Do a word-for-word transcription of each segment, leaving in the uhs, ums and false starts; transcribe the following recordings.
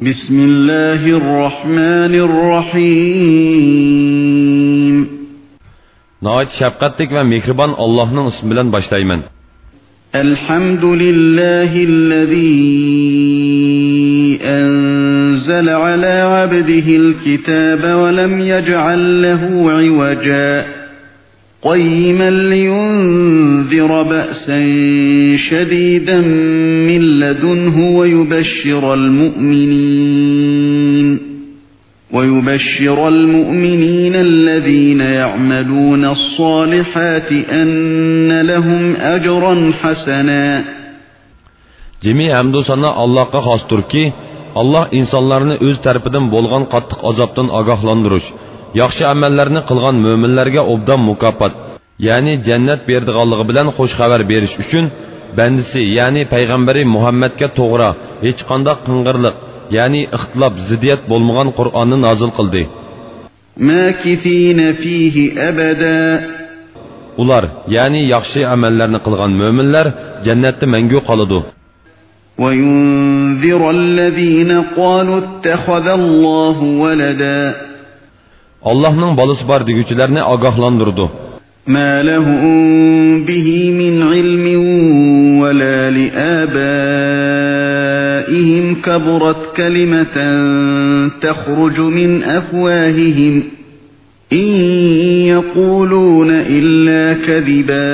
بسم الله الرحمن الرحيم. ناھايىتى شەپقەتلىك ۋە مېھرىبان ئاللاھنىڭ ئىسمى بىلەن باشلايمەن. الحمد لله الذي أنزل على عبده الكتاب ولم يجعل له عوجا، قيما لينذر بأسا شديدا من لدنه ويبشر المؤمنين، ويبشر المؤمنين الذين يعملون الصالحات أن لهم أجرا حسنا. جىمى ھەمدۇ سانا ئاللاھقا خاستۇركى، ئاللاھ ئىنسانلارنى ئۆز تەرىپىدىن بولغان قاتتىق ئازابتىن ئاگاھلاندۇرۇش، ياخشى ئەمەللەرنى قىلغان مۆمىنلەرگە ئوبدان مۇكاپات، يەنى جەننەت بېرىدىغانلىقى بىلەن خۇش خەۋەر بېرىش ئۈچۈن بەندىسى، يەنى پەيغەمبىرى مۇھەممەدكە توغرا، ھېچقانداق قىڭغىرلىق، يەنى ئىختىلاپ، زىددىيەت بولمىغان قۇرئاننى نازىل قىلدى. ماكثين فيه أبدا. ئۇلار، يەنى ياخشى ئەمەللەرنى قىلغان مۆمىنلەر جەننەتتە مەڭگۈ قالىدۇ. وينذر الذين قالوا اتخذ الله ولدا. ئاللاھنىڭ بالىسى بار دېگۈچىلەرنى ئاگاھلاندۇرىدۇ. ما لهم به من علم ولا لآبائهم، كبرت كلمة تخرج من أفواههم، إن يقولون إلا كذبا.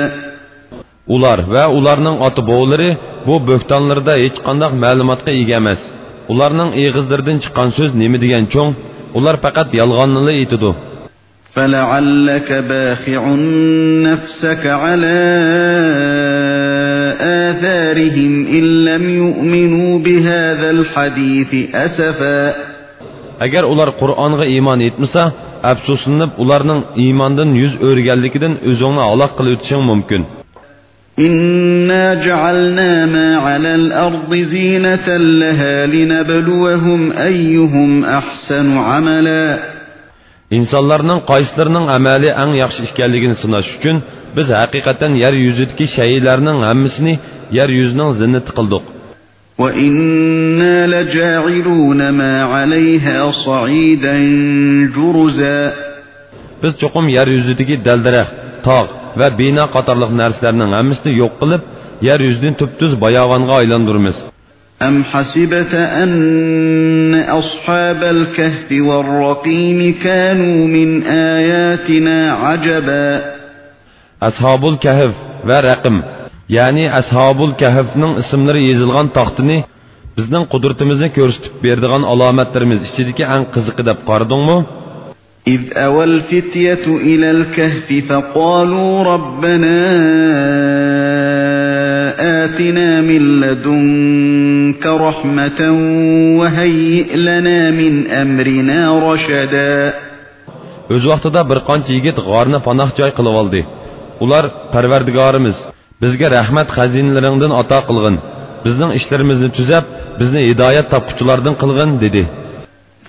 ئۇلار ۋە ئۇلارنىڭ ئاتا-بوۋىلىرى بۇ بۆھتانلىرىدا ھېچقانداق مەلۇماتقا ئىگە ئەمەس. ئۇلارنىڭ ئېغىزلىرىدىن چىققان سۆز نېمە دېگەن چوڭ؟ ئۇلار پەقەت يالغاننىلا ئېيتىدۇ. فلعلك باخع نفسك على آثارهم إن لم يؤمنوا بهذا الحديث أسفا. ئەگەر ئۇلار قۇرئانغا ئىمان ئېيتمىسا، ئەپسۇسلىنىپ، ئۇلارنىڭ ئىماندىن يۈز ئۆرۈگەنلىكىدىن ئۆزۈڭنى ھالاك قىلىۋېتىشىڭ مۇمكىن. إنا جعلنا ما على الأرض زينة لها لنبلوهم أيهم أحسن عملا. ئىنسانلارنىڭ قايسىلىرىنىڭ ئەمەلى ئەڭ ياخشى ئىكەنلىكىنى سىناش ئۈچۈن، بىز ھەقىقەتەن يەر يۈزىدىكى شەيئىلەرنىڭ ھەممىسىنى يەر يۈزىنىڭ زىننىتى قىلدۇق. وإنا لجاعلون ما عليها صعيدا جرزا. بىز چوقۇم يەر يۈزىدىكى دەل-دەرەخ، تاغ ۋە بىنا قاتارلىق نەرسىلەرنىڭ ھەممىسىنى يوق قىلىپ، يەر يۈزىنى تۈپتۈز باياۋانغا ئايلاندۇرىمىز. أم حسبت أن أصحاب الكهف والرقيم كانوا من آياتنا عجبا. ئەسھابۇل كەھف ۋە رەقىم، يەنى ئەسھابۇل كەھفنىڭ ئىسىملىرى يېزىلغان تاختىنى بىزنىڭ قۇدرىتىمىزنى كۆرسىتىپ بېرىدىغان ئالامەتلىرىمىز ئىچىدىكى ئەڭ قىزىقى دەپ قارىدىڭمۇ؟ إذ أوى الفتية إلى الكهف فقالوا ربنا آتنا من لدنك رحمة وهيئ لنا من أمرنا رشدا. ئۆز ۋاقتىدا بىر قانچە يىگىت غارنى پاناھ جاي قىلىۋالدى. ئۇلار، پەرۋەردىگارىمىز، بىزگە رەھمەت خەزىنىلىرىڭدىن ئاتا قىلغىن، بىزنىڭ ئىشلىرىمىزنى تۈزەپ، بىزنى ھىدايەت تاپقۇچىلاردىن قىلغىن، دېدى.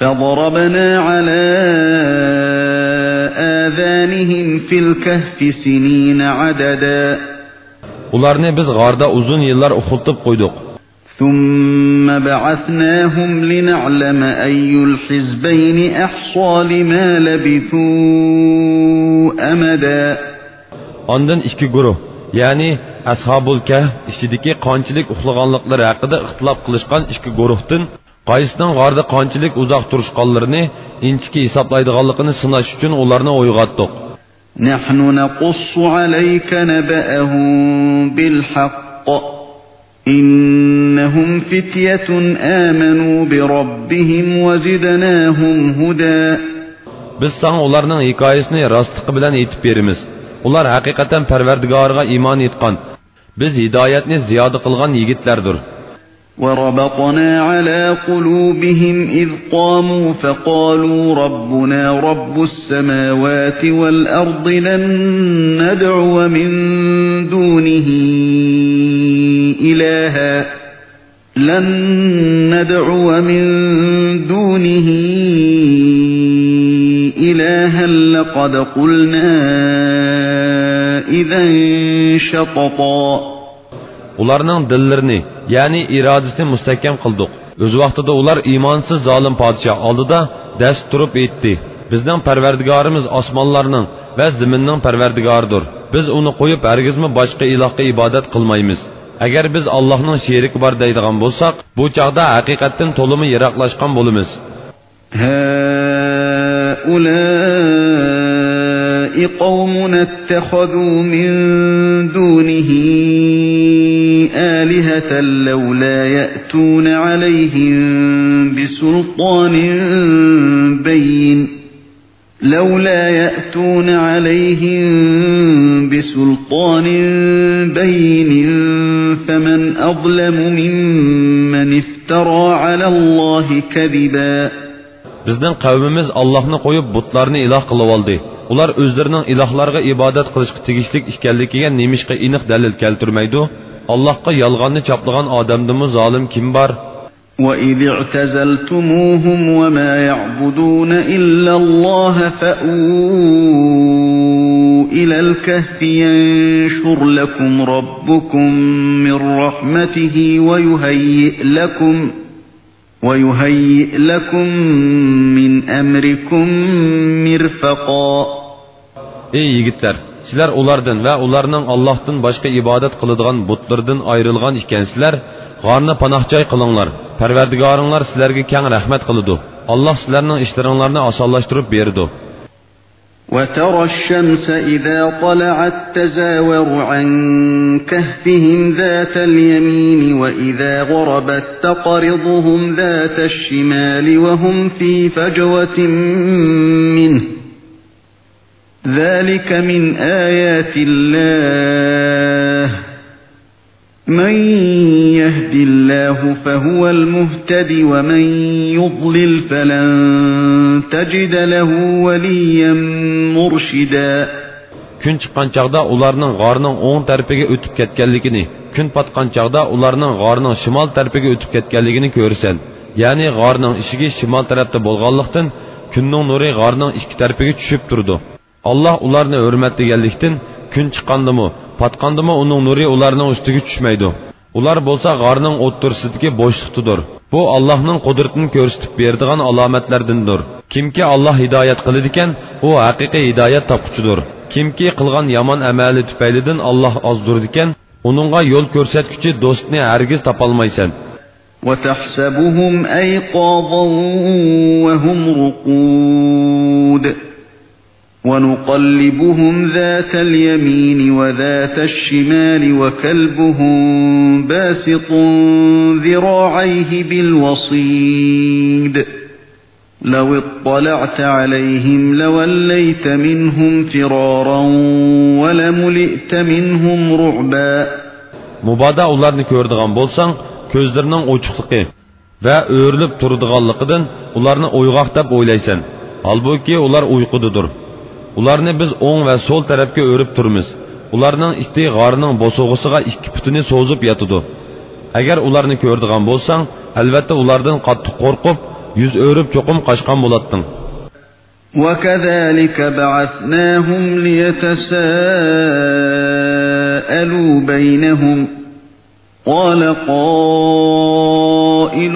فضربنا على آذانهم في الكهف سنين عددا. ئۇلارنى بىز غاردا ئۇزۇن يىللار ئۇخلىتىپ قويدۇق. ثم بعثناهم لنعلم أي الحزبين أحصى لما لبثوا أمدا. ئاندىن ئىككى گۇرۇھ، يەنى ئەسھابۇل كەھف ئىچىدىكى قانچىلىك ئۇخلىغانلىقلىرى ھەققىدە ئىختىلاپ قىلىشقان ئىككى گۇرۇھتىن قايسىنىڭ غاردا قانچىلىك ئۇزاق تۇرۇشقانلىرىنى ئىنچىكە ھېسابلايدىغانلىقىنى سىناش ئۈچۈن ئۇلارنى ئويغاتتۇق. نحن نقص عليك نبأهم بالحق إنهم فتية آمنوا بربهم وزدناهم هدى. بىز ساڭا ئۇلارنىڭ ھېكايىسىنى راستلىقى بىلەن ئېيتىپ بېرىمىز. ئۇلار ھەقىقەتەن پەرۋەردىگارىغا ئىمان ئېيتقان، بىز ھىدايەتنى زىيادە قىلغان يىگىتلەردۇر. وربطنا على قلوبهم إذ قاموا فقالوا ربنا رب السماوات والأرض لن ندعو من دونه إلها، لن ندعو من دونه إلها لقد قلنا إذا شططا. ئۇلارنىڭ دىللىرىنى، يەنى ئىرادىسىنى مۇستەھكەم قىلدۇق. ئۆز ۋاقتىدا ئۇلار ئىمانسىز زالىم پادىشاھ ئالدىدا دەس تۇرۇپ ئېيتتى: «بىزنىڭ پەرۋەردىگارىمىز ئاسمانلارنىڭ ۋە زېمىننىڭ پەرۋەردىگارىدۇر. بىز ئۇنى قويۇپ ھەرگىزمۇ باشقا ئىلاھقا ئىبادەت قىلمايمىز. ئەگەر بىز ئاللاھنىڭ شېرىكى بار دەيدىغان بولساق، بۇ چاغدا ھەقىقەتتىن تولىمۇ يىراقلاشقان بولىمىز.» هؤلاء قوم اتخذوا من دونه آلهة لولا يأتون عليهم بسلطان بين، لولا يأتون عليهم بسلطان بين فمن أظلم ممن افترى على الله كذبا. بىزنىڭ قەۋمىمىز ئاللاھنى قويۇپ بۇتلارنى ئىلاھ قىلىۋالدى. ئۇلار ئۆزلىرىنىڭ ئىلاھلارغا ئىبادەت قىلىشقا تېگىشلىك ئىكەنلىكىگە نېمىشقا ئېنىق دەلىل كەلتۈرمەيدۇ؟ ئاللاھقا يالغاننى چاپلىغان ئادەمدىنمۇ زالىم كىم بار؟ وإذ اعتزلتموهم وما يعبدون إلا الله فأووا إلى الكهف ينشر لكم ربكم من رحمته ويهيئ لكم ويهيئ لكم من أمركم مرفقا. ئەي يىگىتلەر، سىلەر ئۇلاردىن ۋە ئۇلارنىڭ ئاللاھتىن باشقا ئىبادەت قىلىدىغان بۇتلىرىدىن ئايرىلغان ئىكەنسىلەر، غارنى پاناھ جاي قىلىڭلار. پەرۋەردىگارىڭلار سىلەرگە كەڭ رەھمەت قىلىدۇ. ئاللاھ سىلەرنىڭ ئىشلىرىڭلارنى ئاسانلاشتۇرۇپ بېرىدۇ. وترى الشمس إذا طلعت تزاور عن كهفهم ذات اليمين وإذا غربت تقرضهم ذات الشمال وهم في فجوة منه. ذلك من آيات الله. من يهد الله فهو المهتد ومن يضلل فلن تجد له وليا مرشدا. كۈن چىققان چاغدا ئۇلارنىڭ غارنىڭ ئوڭ تەرىپىگە ئۆتۈپ كەتكەنلىكىنى، كۈن پاتقان چاغدا ئۇلارنىڭ غارنىڭ شىمال تەرىپىگە ئۆتۈپ كەتكەنلىكىنى كۆرىسەن. يەنى غارنىڭ ئىشىكى شىمال تەرەپتە بولغانلىقتىن، كۈننىڭ نۇرى غارنىڭ ئىككى تەرىپىگە چۈشۈپ تۇرىدۇ. ئاللاھ ئۇلارنى ھۆرمەتلىگەنلىكتىن، كۈن چىققاندىمۇ، پاتقاندىمۇ ئۇنىڭ نۇرى ئۇلارنىڭ ئۈستىگە چۈشمەيدۇ. ئۇلار بولسا غارنىڭ ئوتتۇرىسىدىكى بوشلۇقتىدۇر. بۇ ئاللاھنىڭ قۇدرىتىنى كۆرسىتىپ بېرىدىغان ئالامەتلەردىندۇر. كىمكى ئاللاھ ھىدايەت قىلىدىكەن، ئۇ ھەقىقىي ھىدايەت تاپقۇچىدۇر. كىمكى قىلغان يامان ئەمەلى تۈپەيلىدىن ئاللاھ ئازدۇرىدىكەن، ئۇنىڭغا يول كۆرسەتكۈچى دوستنى ھەرگىز تاپالمايسەن. وتحسبهم أيقاظا وهم رقود. ونقلبهم ذات اليمين وذات الشمال وكلبهم باسط ذراعيه بالوصيد. لو اطلعت عليهم لوليت منهم فرارا ولملئت منهم رعبا. مۇبادا ئۇلارنى كۆرىدىغان بولساڭ، كۆزلىرىنىڭ ئوچۇقلۇقى ۋە ئۆرۈلۈپ تۇرىدىغانلىقىدىن ئۇلارنى ئويغاق دەپ ئويلايسەن. ھالبۇكى، ئۇلار ئۇيقۇدىدۇر. ئۇلارنى بىز ئوڭ ۋە سول تەرەپكە ئۆرۈپ تۇرىمىز. ئۇلارنىڭ ئىتى غارنىڭ بوسۇغىسىغا ئىككى پۇتىنى سوزۇپ ياتىدۇ. ئەگەر ئۇلارنى كۆرىدىغان بولساڭ، ئەلۋەتتە ئۇلاردىن قاتتىق قورقۇپ، يۈز ئۆرۈپ چوقۇم قاچقان بولاتتىڭ. وكذلك بعثناهم ليتساءلوا بينهم قال قائل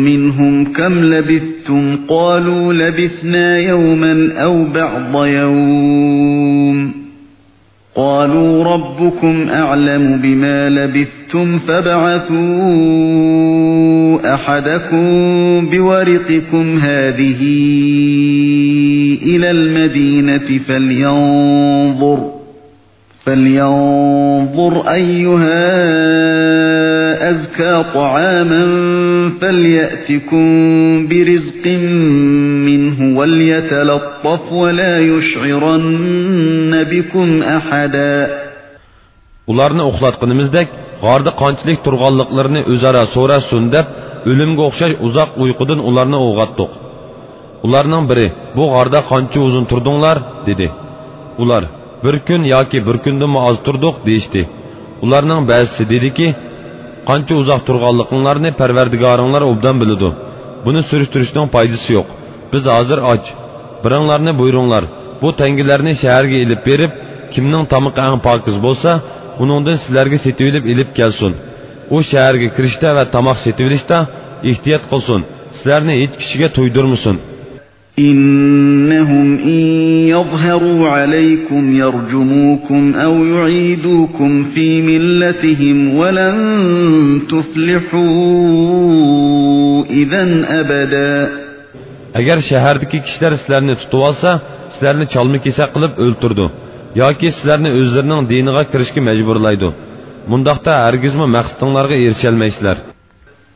منهم كم لبثتم قالوا لبثنا يوما أو بعض يوم قالوا ربكم أعلم بما لبثتم فابعثوا أحدكم بورقكم هذه إلى المدينة فلينظر فلينظر أيها أزكى طعاما فليأتكم برزق منه وليتلطف ولا يشعرن بكم أحدا. ئۇلارنى ئۇخلاتقىنىمىزدەك، غاردا قانچىلىك تۇرغانلىقلىرىنى ئۆزئارا سوراشسۇن دەپ، ئۆلۈمگە ئوخشاش ئۇزاق ئۇيقۇدىن ئۇلارنى ئويغاتتۇق. ئۇلارنىڭ بىرى، بۇ غاردا قانچە ئۇزۇن تۇردۇڭلار؟ دېدى. ئۇلار، بىر كۈن ياكى بىر كۈندىنمۇ ئاز تۇردۇق، دېيىشتى. ئۇلارنىڭ بەزىسى دېدىكى، قانچە ئۇزاق تۇرغانلىقىڭلارنى پەرۋەردىگارىڭلار ئوبدان بىلىدۇ. بۇنى سۈرۈشتۈرۈشنىڭ پايدىسى يوق. بىز ھازىر ئاچ. بىرىڭلارنى بۇيرۇڭلار، بۇ تەڭگىلەرنى شەھەرگە ئېلىپ بېرىپ، كىمنىڭ تامىقى ئەڭ پاكىز بولسا، ئۇنىڭدىن سىلەرگە سېتىۋېلىپ ئېلىپ كەلسۇن. ئۇ شەھەرگە كىرىشتە ۋە تاماق سېتىۋېلىشتا ئېھتىيات قىلسۇن، سىلەرنى ھېچ كىشىگە تۇيدۇرمىسۇن. إنهم إن يظهروا عليكم يرجموكم أو يعيدوكم في ملتهم ولن تفلحوا إذا أبدا. ئەگەر شەھەردىكى كىشىلەر سىلەرنى تۇتۇۋالسا، سىلەرنى چالما-كېسەك قىلىپ ئۆلتۈرىدۇ ياكى سىلەرنى ئۆزلىرىنىڭ دىنىغا كىرىشكە مەجبۇرلايدۇ. مۇنداقتا ھەرگىزمۇ مەقسىتىڭلارغا ئېرىشەلمەيسىلەر.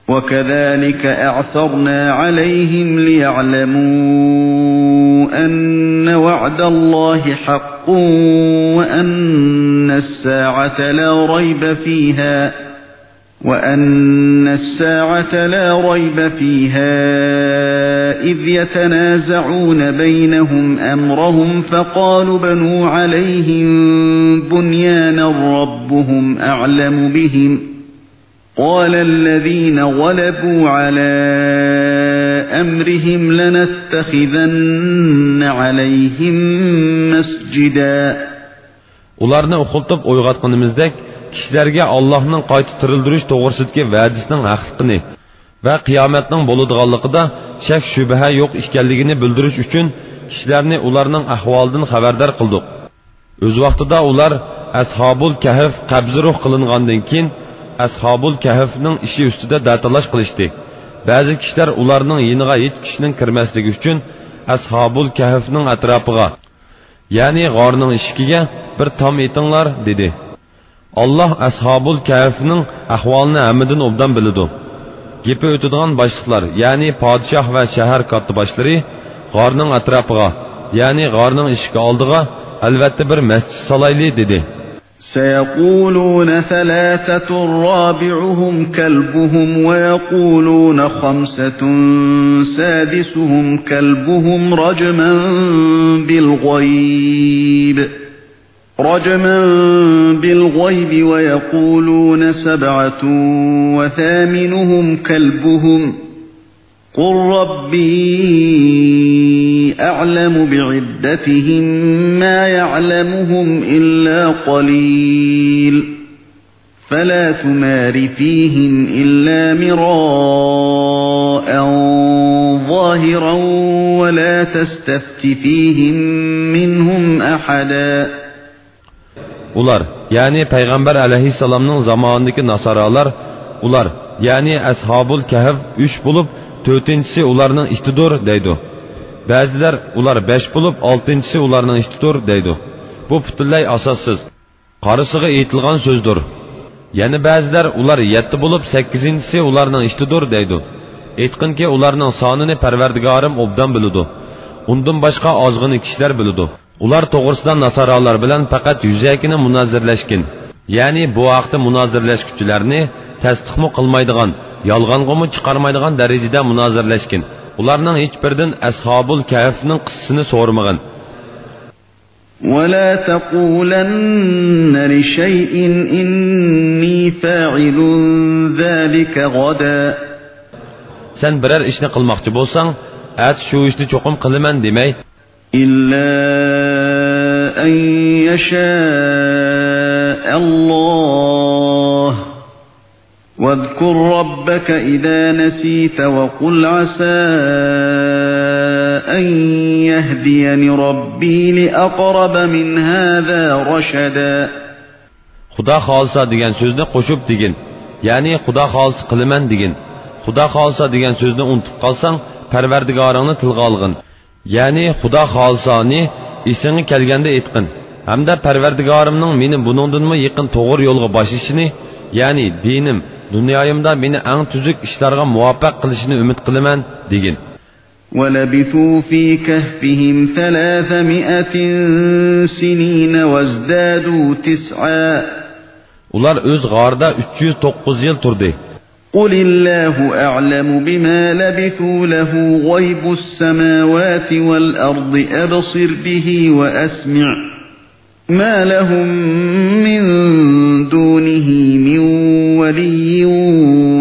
وكذلك أعثرنا عليهم ليعلموا أن وعد الله حق وأن الساعة لا ريب فيها وأن الساعة لا ريب فيها إذ يتنازعون بينهم أمرهم فقالوا ابنوا عليهم بنيانا ربهم أعلم بهم قال الذين غلبوا على أمرهم لنتخذن عليهم مسجدا. ئۇلارنى ئۇخلىتىپ ئويغاتقىنىمىزدەك، كىشىلەرگە ئاللاھنىڭ قايتا تىرىلدۈرۈش توغرىسىدىكى ۋەدىسىنىڭ ھەقلىقىنى ۋە قىيامەتنىڭ بولىدىغانلىقىدا شەك-شۈبھە يوق ئىكەنلىكىنى بىلدۈرۈش ئۈچۈن، كىشىلەرنى ئۇلارنىڭ ئەھۋالىدىن خەۋەردار قىلدۇق. ئۆز ۋاقتىدا ئۇلار ئەسھابۇل كەھف قەبزى روھ قىلىنغاندىن كېيىن، ئەسھابۇل كەھفنىڭ ئىشى ئۈستىدە دەتالاش قىلىشتى. بەزى كىشىلەر ئۇلارنىڭ يېنىغا ھېچ كىشىنىڭ كىرمەسلىكى ئۈچۈن، ئەسھابۇل كەھفنىڭ ئەتراپىغا، يەنى غارنىڭ ئىشىكىگە بىر تام ئېتىڭلار، دېدى. ئاللاھ ئەسھابۇل كەھفنىڭ ئەھۋالىنى ھەممىدىن ئوبدان بىلىدۇ. گېپى ئۆتىدىغان باشلىقلار، يەنى پادىشاھ ۋە شەھەر كاتتىباشلىرى غارنىڭ ئەتراپىغا، يەنى غارنىڭ ئىشىكى ئالدىغا، ئەلۋەتتە، بىر مەسچىت سالايلى، دېدى. سيقولون ثلاثة رابعهم كلبهم ويقولون خمسة سادسهم كلبهم رجما بالغيب، رجما بالغيب ويقولون سبعة وثامنهم كلبهم قل ربي أعلم بعدتهم ما يعلمهم إلا قليل فلا تمار فيهم إلا مراء ظاهرا ولا تستفت فيهم منهم أحدا. ئۇلار، يەنى پەيغەمبەر ئەلەيھىسسالامنىڭ زامانىدىكى ناسارالار، ئۇلار، يەنى ئەسھابۇل كەھف ئۈچ بولۇپ، تۆتىنچىسى ئۇلارنىڭ ئىتىدۇر، دەيدۇ. بەزىلەر، ئۇلار بەش بولۇپ، ئالتىنچىسى ئۇلارنىڭ ئىتىدۇر، دەيدۇ. بۇ پۈتۈنلەي ئاساسسىز، قارىسىغا ئېيتىلغان سۆزدۇر. يەنە بەزىلەر، ئۇلار يەتتە بولۇپ، سەككىزىنچىسى ئۇلارنىڭ ئىتىدۇر، دەيدۇ. ئېيتقىنكى، ئۇلارنىڭ سانىنى پەرۋەردىگارىم ئوبدان بىلىدۇ. ئۇندىن باشقا ئازغىنە كىشىلەر بىلىدۇ. ئۇلار توغرىسىدا ناسارالار بىلەن پەقەت يۈزەكىنە مۇنازىرىلەشكىن، يەنى بۇ ھەقتە مۇنازىرىلەشكۈچىلەرنى تەستىقمۇ قىلمايدىغان، يالغانغىمۇ چىقارمايدىغان دەرىجىدە مۇنازىرىلەشكىن. ئۇلارنىڭ ھېچبىرىدىن ئەسھابۇل كەھفنىڭ قىسسىسىنى سورىمىغىن. ولا تقولن لشيء إني فاعل ذلك غدا. سەن بىرەر ئىشنى قىلماقچى بولساڭ، ئەتە شۇ ئىشنى چوقۇم قىلىمەن دېمەي. إلا أن يشاء الله. واذكر ربك إذا نسيت وقل عسى أن يهديني ربي لأقرب من هذا رشدا. خۇدا خالىسا دېگەن سۆزنى قوشۇپ دېگىن. يەنى خۇدا خالىسا قىلىمەن دېگىن. خۇدا خالىسا دېگەن سۆزنى ئۇنتۇپ قالساڭ، پەرۋەردىگارىڭنى تىلغا ئالغىن. يەنى خۇدا خالىسانى ئېسىڭگە كەلگەندە ئېيتقىن، ھەمدە پەرۋەردىگارىمنىڭ مېنى بۇنىڭدىنمۇ يېقىن توغرا يولغا باشلىشىنى، يەنى دىنىم، دۇنيايىمدا مېنى ئەڭ تۈزۈك ئىشلارغا مۇۋەپپەق قىلىشىنى ئۈمىد قىلىمەن، دېگىن. ولبثوا في كهفهم ثلاثمائة سنين وازدادوا تسعا. ئۇلار ئۆز غارىدا ئۈچ يۈز توققۇز يىل تۇردى. قل الله أعلم بما لبثوا له غيب السماوات والأرض أبصر به وأسمع ما لهم من دونه من ولي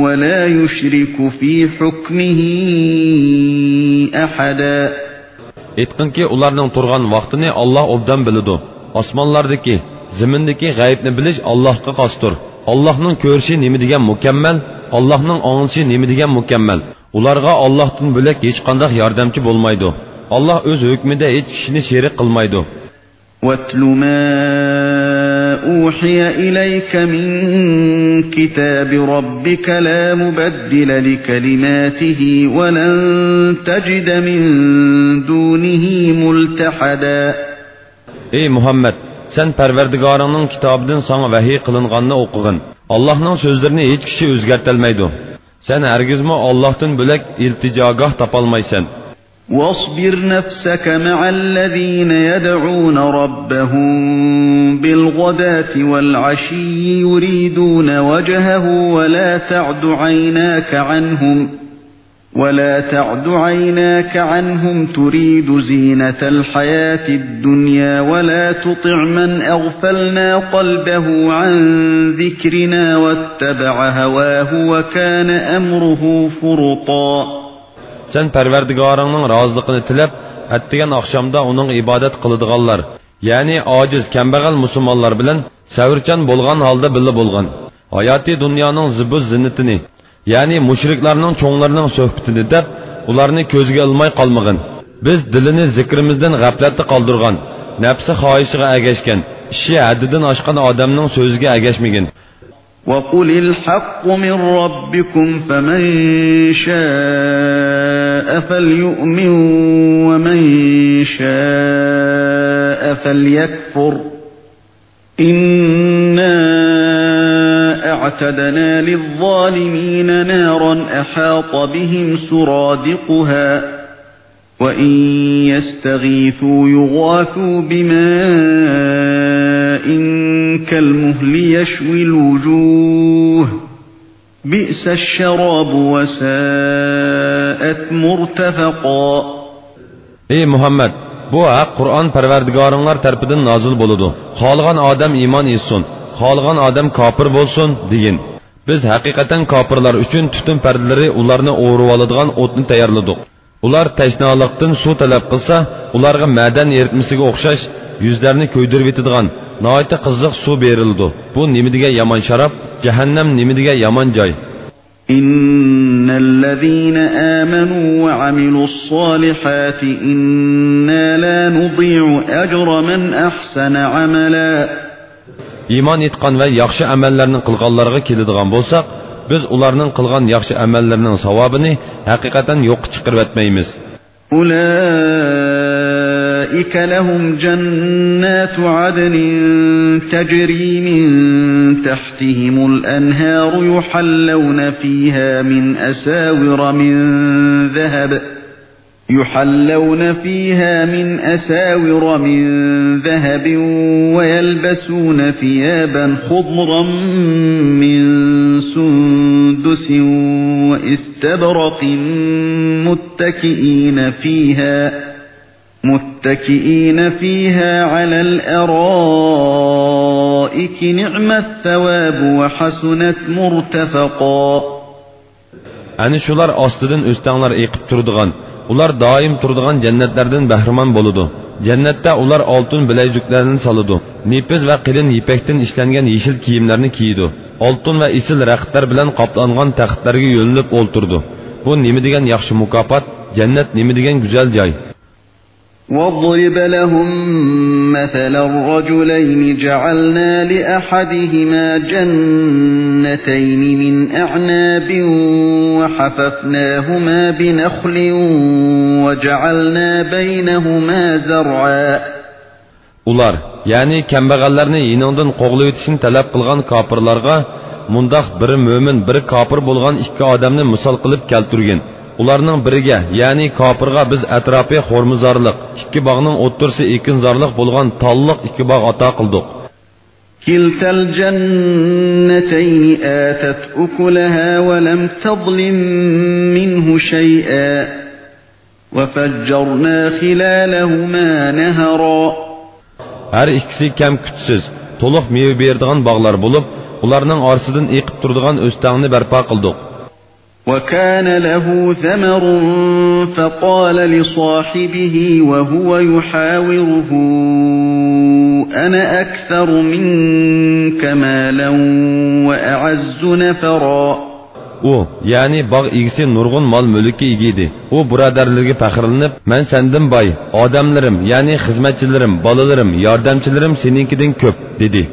ولا يشرك في حكمه أحدا. ئېيتقىنكى، ئۇلارنىڭ تۇرغان ۋاقتىنى ئاللاھ ئوبدان بىلىدۇ. ئاسمانلاردىكى، زېمىندىكى غەيىبنى بىلىش ئاللاھقا خاستۇر. ئاللاھنىڭ كۆرۈشى نېمە دېگەن مۇكەممەل، ئاللاھنىڭ ئاڭلىشى نېمە دېگەن مۇكەممەل! ئۇلارغا ئاللاھتىن بۆلەك ھېچقانداق ياردەمچى بولمايدۇ. ئاللاھ ئۆز ھۆكمىدە ھېچ كىشىنى شېرىك قىلمايدۇ. واتل ما أوحي إليك من كتاب ربك لا مبدل لكلماته ولن تجد من دونه ملتحدا. ئەي مۇھەممەد، سەن پەرۋەردىگارىڭنىڭ كىتابىدىن ساڭا ۋەھىي قىلىنغاننى ئوقۇغىن. ئاللاھنىڭ سۆزلىرىنى ھېچ كىشى ئۆزگەرتەلمەيدۇ. سەن ھەرگىزمۇ ئاللاھتىن بۆلەك ئىلتىجاگاھ تاپالمايسەن. واصبر نفسك مع الذين يدعون ربهم بالغداة والعشي يريدون وجهه ولا تعد عيناك عنهم ولا تعد عيناك عنهم تريد زينة الحياة الدنيا ولا تطع من أغفلنا قلبه عن ذكرنا واتبع هواه وكان أمره فرطا. سەن پەرۋەردىگارىڭنىڭ رازىلىقىنى تىلەپ، ئەتىگەن ئاخشامدا ئۇنىڭغا ئىبادەت قىلىدىغانلار، يەنى ئاجىز، كەمبەغەل مۇسۇلمانلار بىلەن سەۋرچان بولغان ھالدا بىللە بولغىن. ھاياتىي دۇنيانىڭ زىبۇ زىننىتىنى، يەنى مۇشرىكلارنىڭ چوڭلىرىنىڭ سۆھبىتىنى دەپ، ئۇلارنى كۆزگە ئىلماي قالمىغىن. بىز دىلىنى زىكرىمىزدىن غەپلەتتە قالدۇرغان، نەپسى خاھىشىغا ئەگەشكەن، ئىشى ھەددىدىن ئاشقان ئادەمنىڭ سۆزىگە ئەگەشمىگىن. وقل الحق من ربكم فمن شاء فليؤمن ومن شاء فليكفر. إنا أعتدنا للظالمين نارا أحاط بهم سرادقها وإن يستغيثوا يغاثوا بماء كالمهل يشوي الوجوه بئس الشراب وساءت مرتفقا. ئەي مۇھەممەد، بۇ ھەق قۇرئان پەرۋەردىگارىڭلار تەرىپىدىن نازىل بولىدۇ. خالىغان ئادەم ئىمان ئېيتسۇن، خالىغان ئادەم كاپىر بولسۇن، دېگىن. بىز ھەقىقەتەن كاپىرلار ئۈچۈن تۈتۈن پەردىلىرى ئۇلارنى ئورىۋالىدىغان ئوتنى تەييارلىدۇق. ئۇلار تەشنالىقتىن سۇ تەلەپ قىلسا، ئۇلارغا مەدەن ئېرىتمىسىگە ئوخشاش يۈزلەرنى كۆيدۈرۈۋېتىدىغان ناھايىتى قىزىق سۇ بېرىلىدۇ. بۇ نېمە دېگەن يامان شاراب! جەھەننەم نېمە دېگەن يامان جاي! إن الذين آمنوا وعملوا الصالحات إنا لا نضيع أجر من أحسن عملا. ئىمان ئېيتقان ۋە ياخشى ئەمەللەرنى قىلغانلارغا كېلىدىغان بولساق، بىز ئۇلارنىڭ قىلغان ياخشى ئەمەللىرىنىڭ ساۋابىنى ھەقىقەتەن يوققا چىقىرىۋەتمەيمىز. أولئك لهم جنات عدن تجري من تحتهم الأنهار يحلون فيها من أساور من ذهب يحلون فيها من أساور من ذهب ويلبسون ثيابا خضرا من سندس وإستبرق متكئين فيها متكئين فيها على الأرائك نعم الثواب وحسنت مرتفقا. ئەنە شۇلار ئاستىدىن ئۆستەڭلەر ئېقىپ تۇرىدىغان، ئۇلار دائىم تۇرىدىغان جەننەتلەردىن بەھرىمەن بولىدۇ. جەننەتتە ئۇلار ئالتۇن بىلەيزۈكلەردىن سالىدۇ. نېپىز ۋە قېلىن يىپەكتىن ئىشلەنگەن يېشىل كىيىملەرنى كىيىدۇ. ئالتۇن ۋە ئېسىل رەختلەر بىلەن قاپلانغان تەختلەرگە يۆلىنىپ ئولتۇرىدۇ. بۇ نېمە دېگەن ياخشى مۇكاپات! جەننەت نېمە دېگەن گۈزەل جاي! واضرب لهم مثلا رجلين جعلنا لأحدهما جنتين من أعناب وحففناهما بنخل وجعلنا بينهما زرعا. ئۇلار، يەنى كەمبەغەللەرنى يېنىڭدىن قوغلىۋېتىشنى تەلەپ قىلغان كاپىرلارغا مۇنداق بىرى مۆمىن، بىرى كاپىر بولغان ئىككى ئادەمنى مىسال قىلىپ كەلتۈرگىن. ئۇلارنىڭ بىرىگە، يەنى كاپىرغا بىز ئەتراپى خورمىزارلىق، ئىككى باغنىڭ ئوتتۇرىسى ئېكىنزارلىق بولغان تاللىق ئىككى باغ ئاتا قىلدۇق. كلتا الجنتين آتت أكلها ولم تظلم منه شيئا وفجرنا خلالهما نهرا. ھەر ئىككىسى كەم-كۈتسىز، تولۇق مېۋە بېرىدىغان باغلار بولۇپ، ئۇلارنىڭ ئارىسىدىن ئېقىپ تۇرىدىغان ئۆستەڭنى بەرپا قىلدۇق. وكان له ثمر فقال لصاحبه وهو يحاوره أنا أكثر منك مالا وأعز نفرا. ئۇ، يەنى باغ ئىگىسى نۇرغۇن مال-مۈلۈككە ئىگە ئىدى. ئۇ بۇرادەرلىرىگە پەخىرلىنىپ، مەن سەندىن باي، ئادەملىرىم، يەنى خىزمەتچىلىرىم، بالىلىرىم، ياردەمچىلىرىم سېنىڭكىدىن كۆپ، دېدى.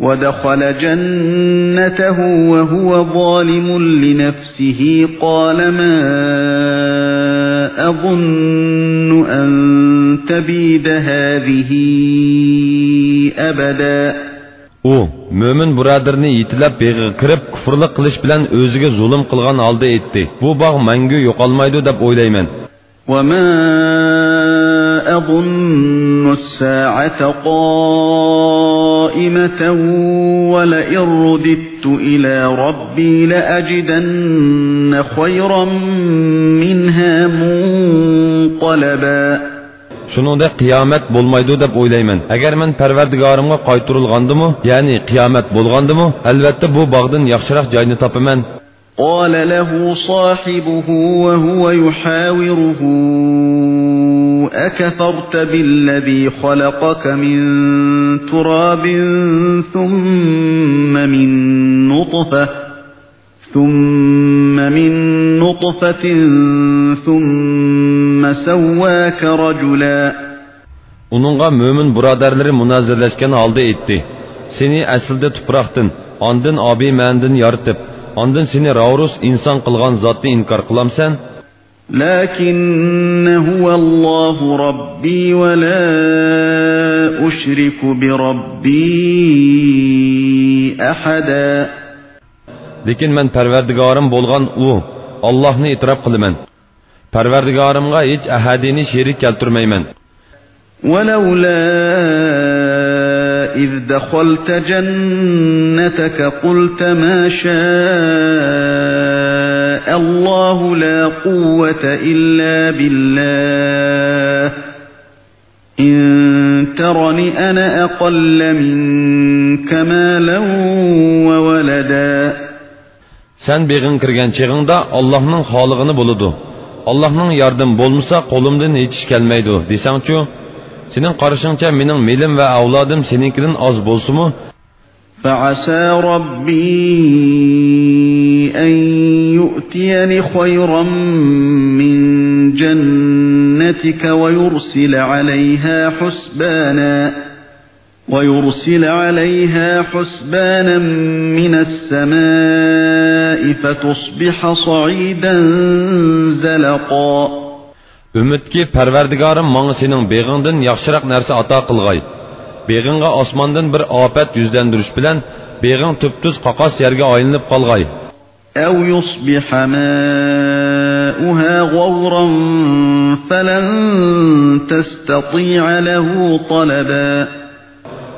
ودخل جنته وهو ظالم لنفسه قال ما أظن أن تبيد هذه أبدا. ئۇ، مۆمىن بۇرادىرىنى يېتىلەپ بېغىغا كىرىپ، كۇفرلۇق قىلىش بىلەن ئۆزىگە زۇلۇم قىلغان ھالدا ئېيتتى، بۇ باغ مەڭگۈ يوقالمايدۇ دەپ ئويلايمەن. وما أظن الساعة قائمة ولئن رددت إلى ربي لأجدن خيرا منها منقلبا. شۇنىڭدەك قىيامەت بولمايدۇ دەپ ئويلايمەن. ئەگەر مەن پەرۋەردىگارىمغا قايتۇرۇلغاندىمۇ، يەنى قىيامەت بولغاندىمۇ، ئەلۋەتتە بۇ باغدىن ياخشىراق جاينى تاپىمەن. قال له صاحبه وهو يحاوره أكفرت بالذي خلقك من تراب ثم من نطفة ثم من نطفة ثم سواك رجلا. ئۇنىڭغا مۆمىن بۇرادەرلىرى مۇنازىرىلەشكەن ھالدا ئېيتتى، سېنى ئەسلىدە تۇپراقتىن، ئاندىن ئابىمەنىدىن يارىتىپ، ئاندىن سېنى راۋۇرۇس ئىنسان قىلغان زاتنى ئىنكار قىلامسەن؟ لكن هو الله ربي ولا أشرك بربي أحدا. لېكىن مەن پەرۋەردىگارىم بولغان ئۇ، ئاللاھنى ئېتىراپ قىلىمەن. پەرۋەردىگارىمغا ھېچ ئەھەدىنى شېرىك كەلتۈرمەيمەن. ولولا إذ دخلت جنتك قلت ما شاء الله لا قوة إلا بالله إن ترن أنا أقل منك مالا وولدا. سەن بېغىڭغا كىرگەن چېغىڭدا، ئاللاھنىڭ خالىغىنى بولىدۇ. ئاللاھنىڭ ياردىمى بولمىسا، قولۇمدىن ھېچ ئىش كەلمەيدۇ، دېسەڭچۇ؟ سېنىڭ قارىشىڭچە، مېنىڭ مېلىم ۋە ئەۋلادىم سېنىڭكىدىن ئاز بولسىمۇ، فعسى ربي أن يؤتيني خيرا من جنتك ويرسل عليها حسبانا، ويرسل عليها حسبانا من السماء فتصبح صعيدا زلقا. ئۈمىدكى، پەرۋەردىگارىم ماڭا سېنىڭ بېغىڭدىن ياخشىراق نەرسە ئاتا قىلغاي. بېغىڭغا ئاسماندىن بىر ئاپەت يۈزلەندۈرۈش بىلەن، بېغىڭ تۈپتۈز قاقاس يەرگە ئايلىنىپ قالغاي. أو يصبح ماؤها غورا فلن تستطيع له طلبا.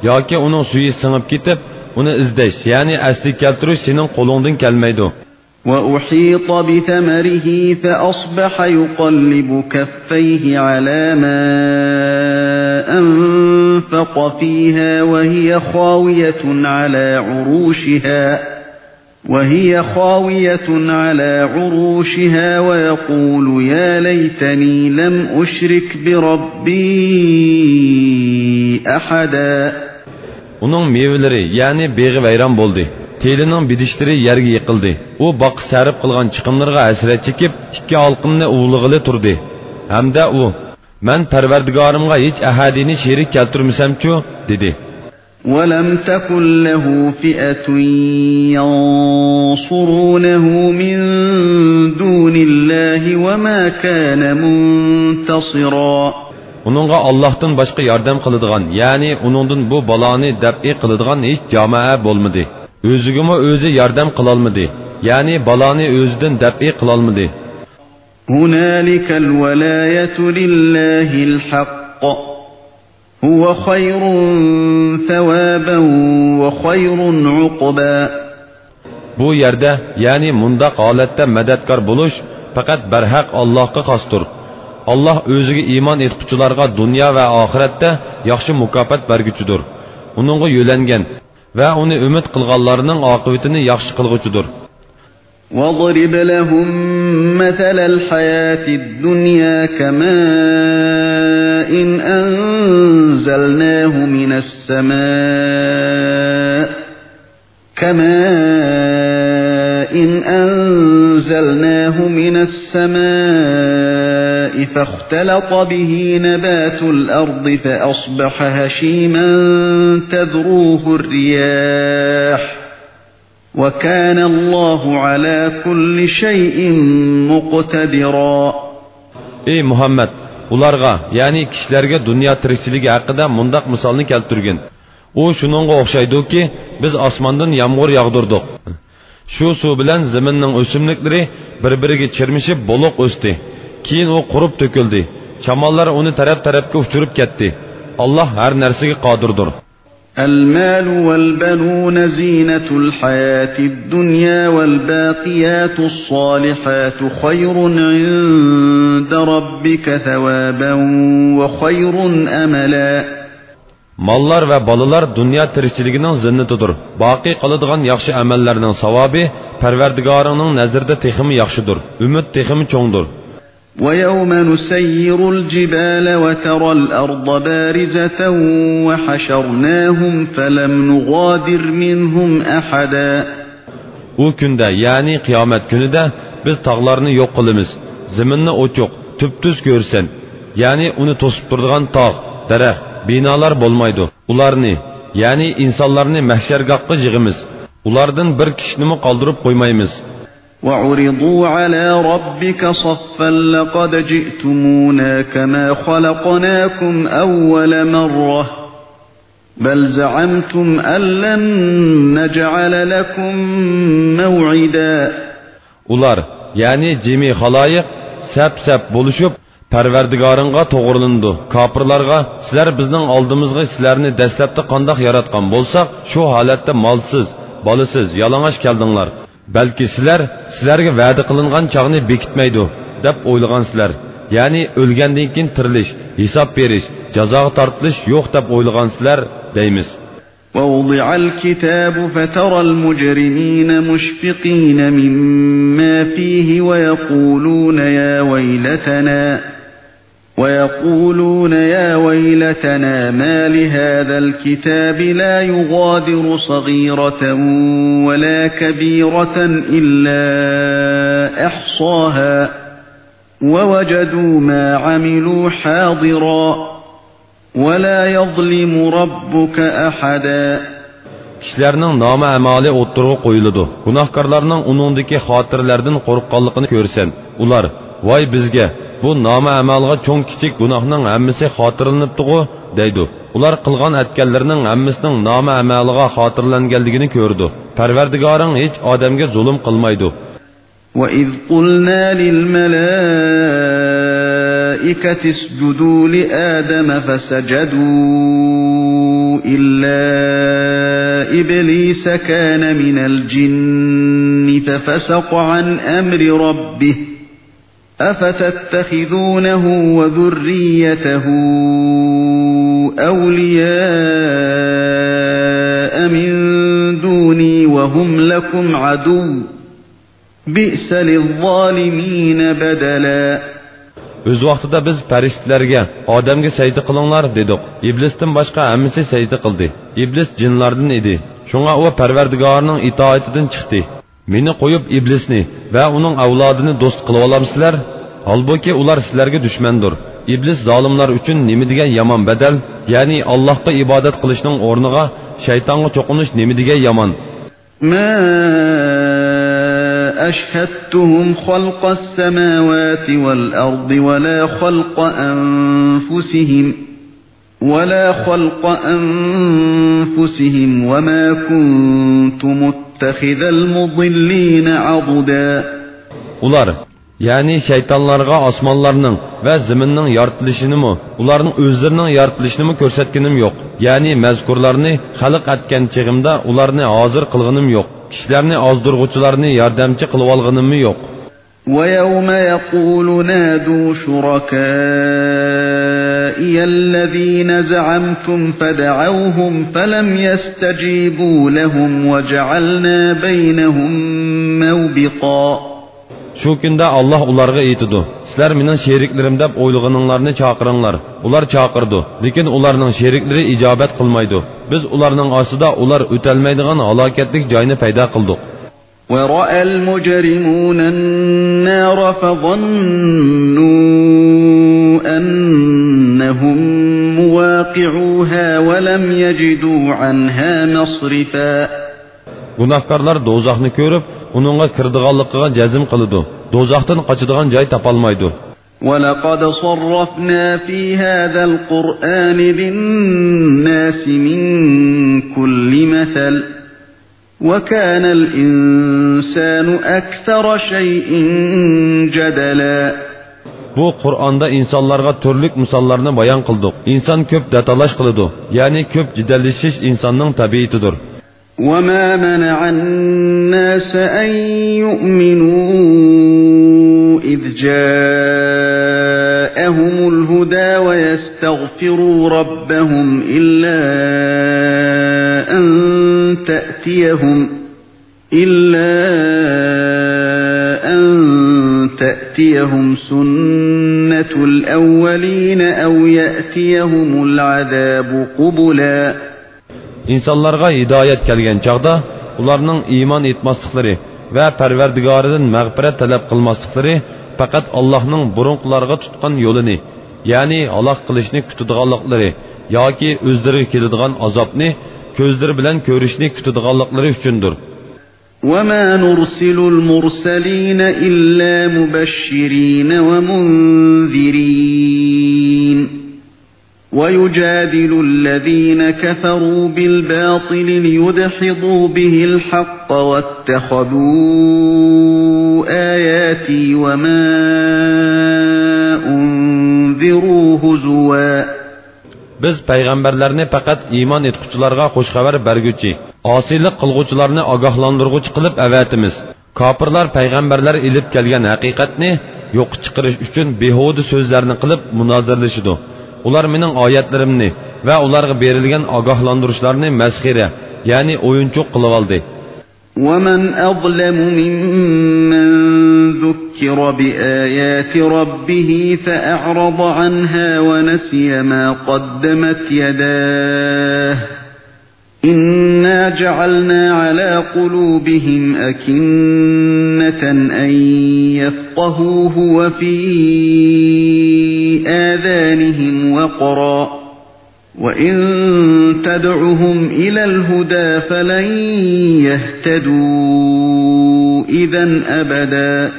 ياكى ئۇنىڭ سۈيى سىڭىپ كېتىپ، ئۇنى ئىزدەش، يەنى ئەسلىگە كەلتۈرۈش سېنىڭ قولۇڭدىن كەلمەيدۇ. وأحيط بثمره فأصبح يقلب كفيه على ما أنفق فيها وهي خاوية على عروشها، وهي خاوية على عروشها ويقول يا ليتني لم أشرك بربي أحدا. ئۇنىڭ مېۋىلىرى، يەنى بېغى ۋەيران بولدى. تېلىنىڭ بېدىشلىرى يەرگە يىقىلدى. ئۇ باغقا سەرپ قىلغان چىقىملىرىغا ھەسرەت چېكىپ، ئىككى ھالقىمنى ئۇۋىلىغىلى تۇردى. ھەمدە ئۇ، مەن پەرۋەردىگارىمغا ھېچ ئەھەدىنى شېرىك كەلتۈرمىسەمچۇ؟ دېدى. ولم تكن له فئة ينصرونه من دون الله وما كان منتصرا. ئۇنىڭغا ئاللاھتىن باشقا ياردەم قىلىدىغان، يەنى ئۇنىڭدىن بۇ بالانى دەپئى قىلىدىغان ھېچ جامائە بولمىدى. ئۆزىگىمۇ ئۆزى ياردەم قىلالمىدى، يەنى بالانى ئۆزىدىن دەپئى قىلالمىدى. هنالك الولاية لله الحق، هو خير ثوابا وخير عقبا. بۇ يەردە، يەنى مۇنداق ھالەتتە مەدەتكار بولۇش پەقەت بەرھەق ئاللاھقا خاستۇر. ئاللاھ ئۆزىگە ئىمان ئېيتقۇچىلارغا دۇنيا ۋە ئاخىرەتتە ياخشى مۇكاپات بەرگۈچىدۇر. ئۇنىڭغا يۆلەنگەن ۋە ئۇنى ئۈمىد قىلغانلارنىڭ ئاقىۋىتىنى ياخشى قىلغۇچىدۇر. واضرب لهم مثل الحياة الدنيا كماء أنزلناه من السماء، كماء إن أنزلناه من السماء فاختلط به نبات الأرض فأصبح هشيما تذروه الرياح وكان الله على كل شيء مقتدرا. ئەي مۇھەممەد، ئۇلارغا، يەنى كىشىلەرگە دۇنيا تىرىكچىلىكى ھەققىدە مۇنداق مىسالنى كەلتۈرگىن. ئۇ شۇنىڭغا ئوخشايدۇكى، بىز ئاسماندىن يامغۇر ياغدۇردۇق. شۇ سۇ بىلەن زېمىننىڭ ئۆسۈملۈكلىرى بىر-بىرىگە چىرمىشىپ بولۇق ئۆستى. كېيىن ئۇ قۇرۇپ تۆكۈلدى. شاماللار ئۇنى تەرەپ-تەرەپكە ئۇچۇرۇپ كەتتى. ئاللاھ ھەر نەرسىگە قادىردۇر. المال والبنون زينة الحياة الدنيا والباقيات الصالحات خير عند ربك ثوابا وخير أملا. ماللار ۋە بالىلار دۇنيا تىرىكچىلىكىنىڭ زىننىتىدۇر. باقىي قالىدىغان ياخشى ئەمەللەرنىڭ ساۋابى پەرۋەردىگارىڭنىڭ نەزىرىدە تېخىمۇ ياخشىدۇر، ئۈمىد تېخىمۇ چوڭدۇر. ويوم نسير الجبال وترى الأرض بارزة وحشرناهم فلم نغادر منهم أحدا. ئۇ كۈندە، يەنى قىيامەت كۈنىدە بىز تاغلارنى يوق قىلىمىز، زېمىننى ئوچۇق، تۈپتۈز كۆرىسەن. يەنى ئۇنى توسۇپ تۇرىدىغان تاغ، دەرەخ، بىنالار بولمايدۇ. ئۇلارنى، يەنى ئىنسانلارنى مەھشەرگاھقا يىغىمىز. ئۇلاردىن بىر كىشىنىمۇ قالدۇرۇپ قويمايمىز. وعرضوا على ربك صفا لقد جئتمونا كما خلقناكم أول مرة بل زعمتم أن لن نجعل لكم موعدا. ئۇلار، يەنى جىمى خالايىق، سەپ-سەپ بولۇشۇپ، پەرۋەردىگارىڭغا توغرىلىنىدۇ. كاپىرلارغا، سىلەر بىزنىڭ ئالدىمىزغا سىلەرنى دەسلەپتە قانداق ياراتقان بولساق، شۇ ھالەتتە مالسىز، بالىسىز، يالىڭاچ كەلدىڭلار. بەلكى سىلەر، سىلەرگە ۋەدە قىلىنغان چاغنى بېكىتمەيدۇ، دەپ ئويلىغانسىلەر. يەنى ئۆلگەندىن كېيىن تىرىلىش، ھېساب بېرىش، جازاغا تارتىلىش يوق، دەپ ئويلىغانسىلەر، دەيمىز. ووضع الكتاب فترى المجرمين مشفقين مما فيه ويقولون يا ويلتنا، ويقولون يا ويلتنا ما لهذا الكتاب لا يغادر صغيرة ولا كبيرة إلا أحصاها ووجدوا ما عملوا حاضرا ولا يظلم ربك أحدا. كىشىلەرنىڭ نامە-ئەمالى ئوتتۇرىغا قويۇلىدۇ. گۇناھكارلارنىڭ ئۇنىڭدىكى خاتىرىلەردىن قورققانلىقىنى كۆرىسەن. ئۇلار، ۋاي بىزگە، بۇ نامە-ئەمالغا چوڭ-كىچىك گۇناھنىڭ ھەممىسى خاتىرىلىنىپتىغۇ، دەيدۇ. ئۇلار قىلغان ئەتكەنلىرىنىڭ ھەممىسىنىڭ نامە-ئەمالىغا خاتىرىلەنگەنلىكىنى كۆرىدۇ. پەرۋەردىگارىڭ ھېچ ئادەمگە زۇلۇم قىلمايدۇ. وإذ قلنا للملائكة اسجدوا لآدم فسجدوا إلا إبليس كان من الجن ففسق عن أمر ربه أفتتخذونه وذريته أولياء من دوني وهم لكم عدو بئس للظالمين بدلا. ئۆز ۋاقتىدا بىز پەرىشتىلەرگە، ئادەمگە سەجدە قىلىڭلار، دېدۇق. ئىبلىستىن باشقا ھەممىسى سەجدە قىلدى. ئىبلىس جىنلاردىن ئىدى. شۇڭا ئۇ پەرۋەردىگارىنىڭ ئىتائىتىدىن چىقتى. مېنى قويۇپ ئىبلىسنى ۋە ئۇنىڭ ئەۋلادىنى دوست قىلىۋالامسىلەر؟ ھالبۇكى، ئۇلار سىلەرگە دۈشمەندۇر. ئىبلىس زالىملار ئۈچۈن نېمە دېگەن يامان بەدەل، يەنى ئاللاھقا ئىبادەت قىلىشنىڭ ئورنىغا شەيتانغا چوقۇنۇش نېمە دېگەن يامان. ما أشهدتهم خلق السماوات والأرض ولا خلق أنفسهم، ولا خلق أنفسهم وما كنت متخذ المضلين عضدا. ئۇلار، يەنى شەيتانلارغا ئاسمانلارنىڭ ۋە زېمىننىڭ يارىتىلىشىنىمۇ، ئۇلارنىڭ ئۆزلىرىنىڭ يارىتىلىشىنىمۇ كۆرسەتكىنىم يوق. يەنى مەزكۇرلارنى خەلق ئەتكەن چېغىمدا ئۇلارنى ھازىر قىلغىنىم يوق. كىشىلەرنى ئازدۇرغۇچىلارنى ياردەمچى قىلىۋالغىنىممۇ يوق. ويوم يقول نادوا شركائي الذين زعمتم فدعوهم فلم يستجيبوا لهم وجعلنا بينهم موبقا. شۇ كۈندە ئاللاھ ئۇلارغا ئېيتىدۇ، سىلەر مېنىڭ شېرىكلىرىم دەپ ئويلىغىنىڭلارنى چاقىرىڭلار. ئۇلار چاقىرىدۇ، لېكىن ئۇلارنىڭ شېرىكلىرى ئىجابەت قىلمايدۇ. بىز ئۇلارنىڭ ئاستىدا ئۇلار ئۆتەلمەيدىغان ھالاكەتلىك جاينى پەيدا قىلدۇق. ورأى المجرمون النار فظنوا أنهم مواقعوها ولم يجدوا عنها مصرفا. گۇناھكارلار دوزاخنى كۆرۈپ، ئۇنىڭغا كىرىدىغانلىقىغا جەزم قىلىدۇ. دوزاختىن قاچىدىغان جاي تاپالمايدۇ. ولقد صرفنا في هذا القرآن للناس من كل مثل وكان الإنسان أكثر شيء جدلا. بۇ قۇرئاندا ئىنسانلارغا تۈرلۈك مىساللارنى بايان قىلدۇق. ئىنسان كۆپ دەتالاش قىلىدۇ، يەنى كۆپ جېدەللىشىش ئىنساننىڭ تەبىئىتىدۇر. وما منع الناس أن يؤمنوا إذ جاءهم الهدى ويستغفروا ربهم إلا أن تأتيهم إلا أن تأتيهم سنة الأولين أو يأتيهم العذاب قبلا. ئىنسانلارغا ھىدايەت كەلگەن چاغدا، ئۇلارنىڭ ئىمان ئېيتماسلىقلىرى ۋە پەرۋەردىگارىدىن مەغپىرەت تەلەپ قىلماسلىقلىرى پەقەت ئاللاھنىڭ بۇرۇنقىلارغا تۇتقان يولىنى، يەنى ھالاك قىلىشنى كۈتىدىغانلىقلىرى ياكى ئۆزلىرىگە كېلىدىغان ئازابنى كۆزلىرى بىلەن كۆرۈشنى كۈتىدىغانلىقلىرى ئۈچۈندۇر. وما نرسل المرسلين إلا مبشرين ومنذرين ويجادل الذين كفروا بالباطل ليدحضوا به الحق واتخذوا آياتي وما أنذروا هزوا. بىز پەيغەمبەرلەرنى پەقەت ئىمان ئېيتقۇچىلارغا خۇش خەۋەر بەرگۈچى، ئاسىيلىق قىلغۇچىلارنى ئاگاھلاندۇرغۇچى قىلىپ ئەۋەتىمىز. كاپىرلار پەيغەمبەرلەر ئېلىپ كەلگەن ھەقىقەتنى يوققا چىقىرىش ئۈچۈن بىھۇدە سۆزلەرنى قىلىپ مۇنازىرىلىشىدۇ. ئۇلار مېنىڭ ئايەتلىرىمنى ۋە ئۇلارغا بېرىلگەن ئاگاھلاندۇرۇشلارنى مەسخىرە، يەنى ئويۇنچۇق قىلىۋالدى. ومن أظلم ممن ذكر بآيات ربه فأعرض عنها ونسي ما قدمت يداه إنا جعلنا على قلوبهم أكنة أن يفقهوه وفي آذانهم وقرا وإن تدعهم إلى الهدى فلن يهتدوا إذا أبدا.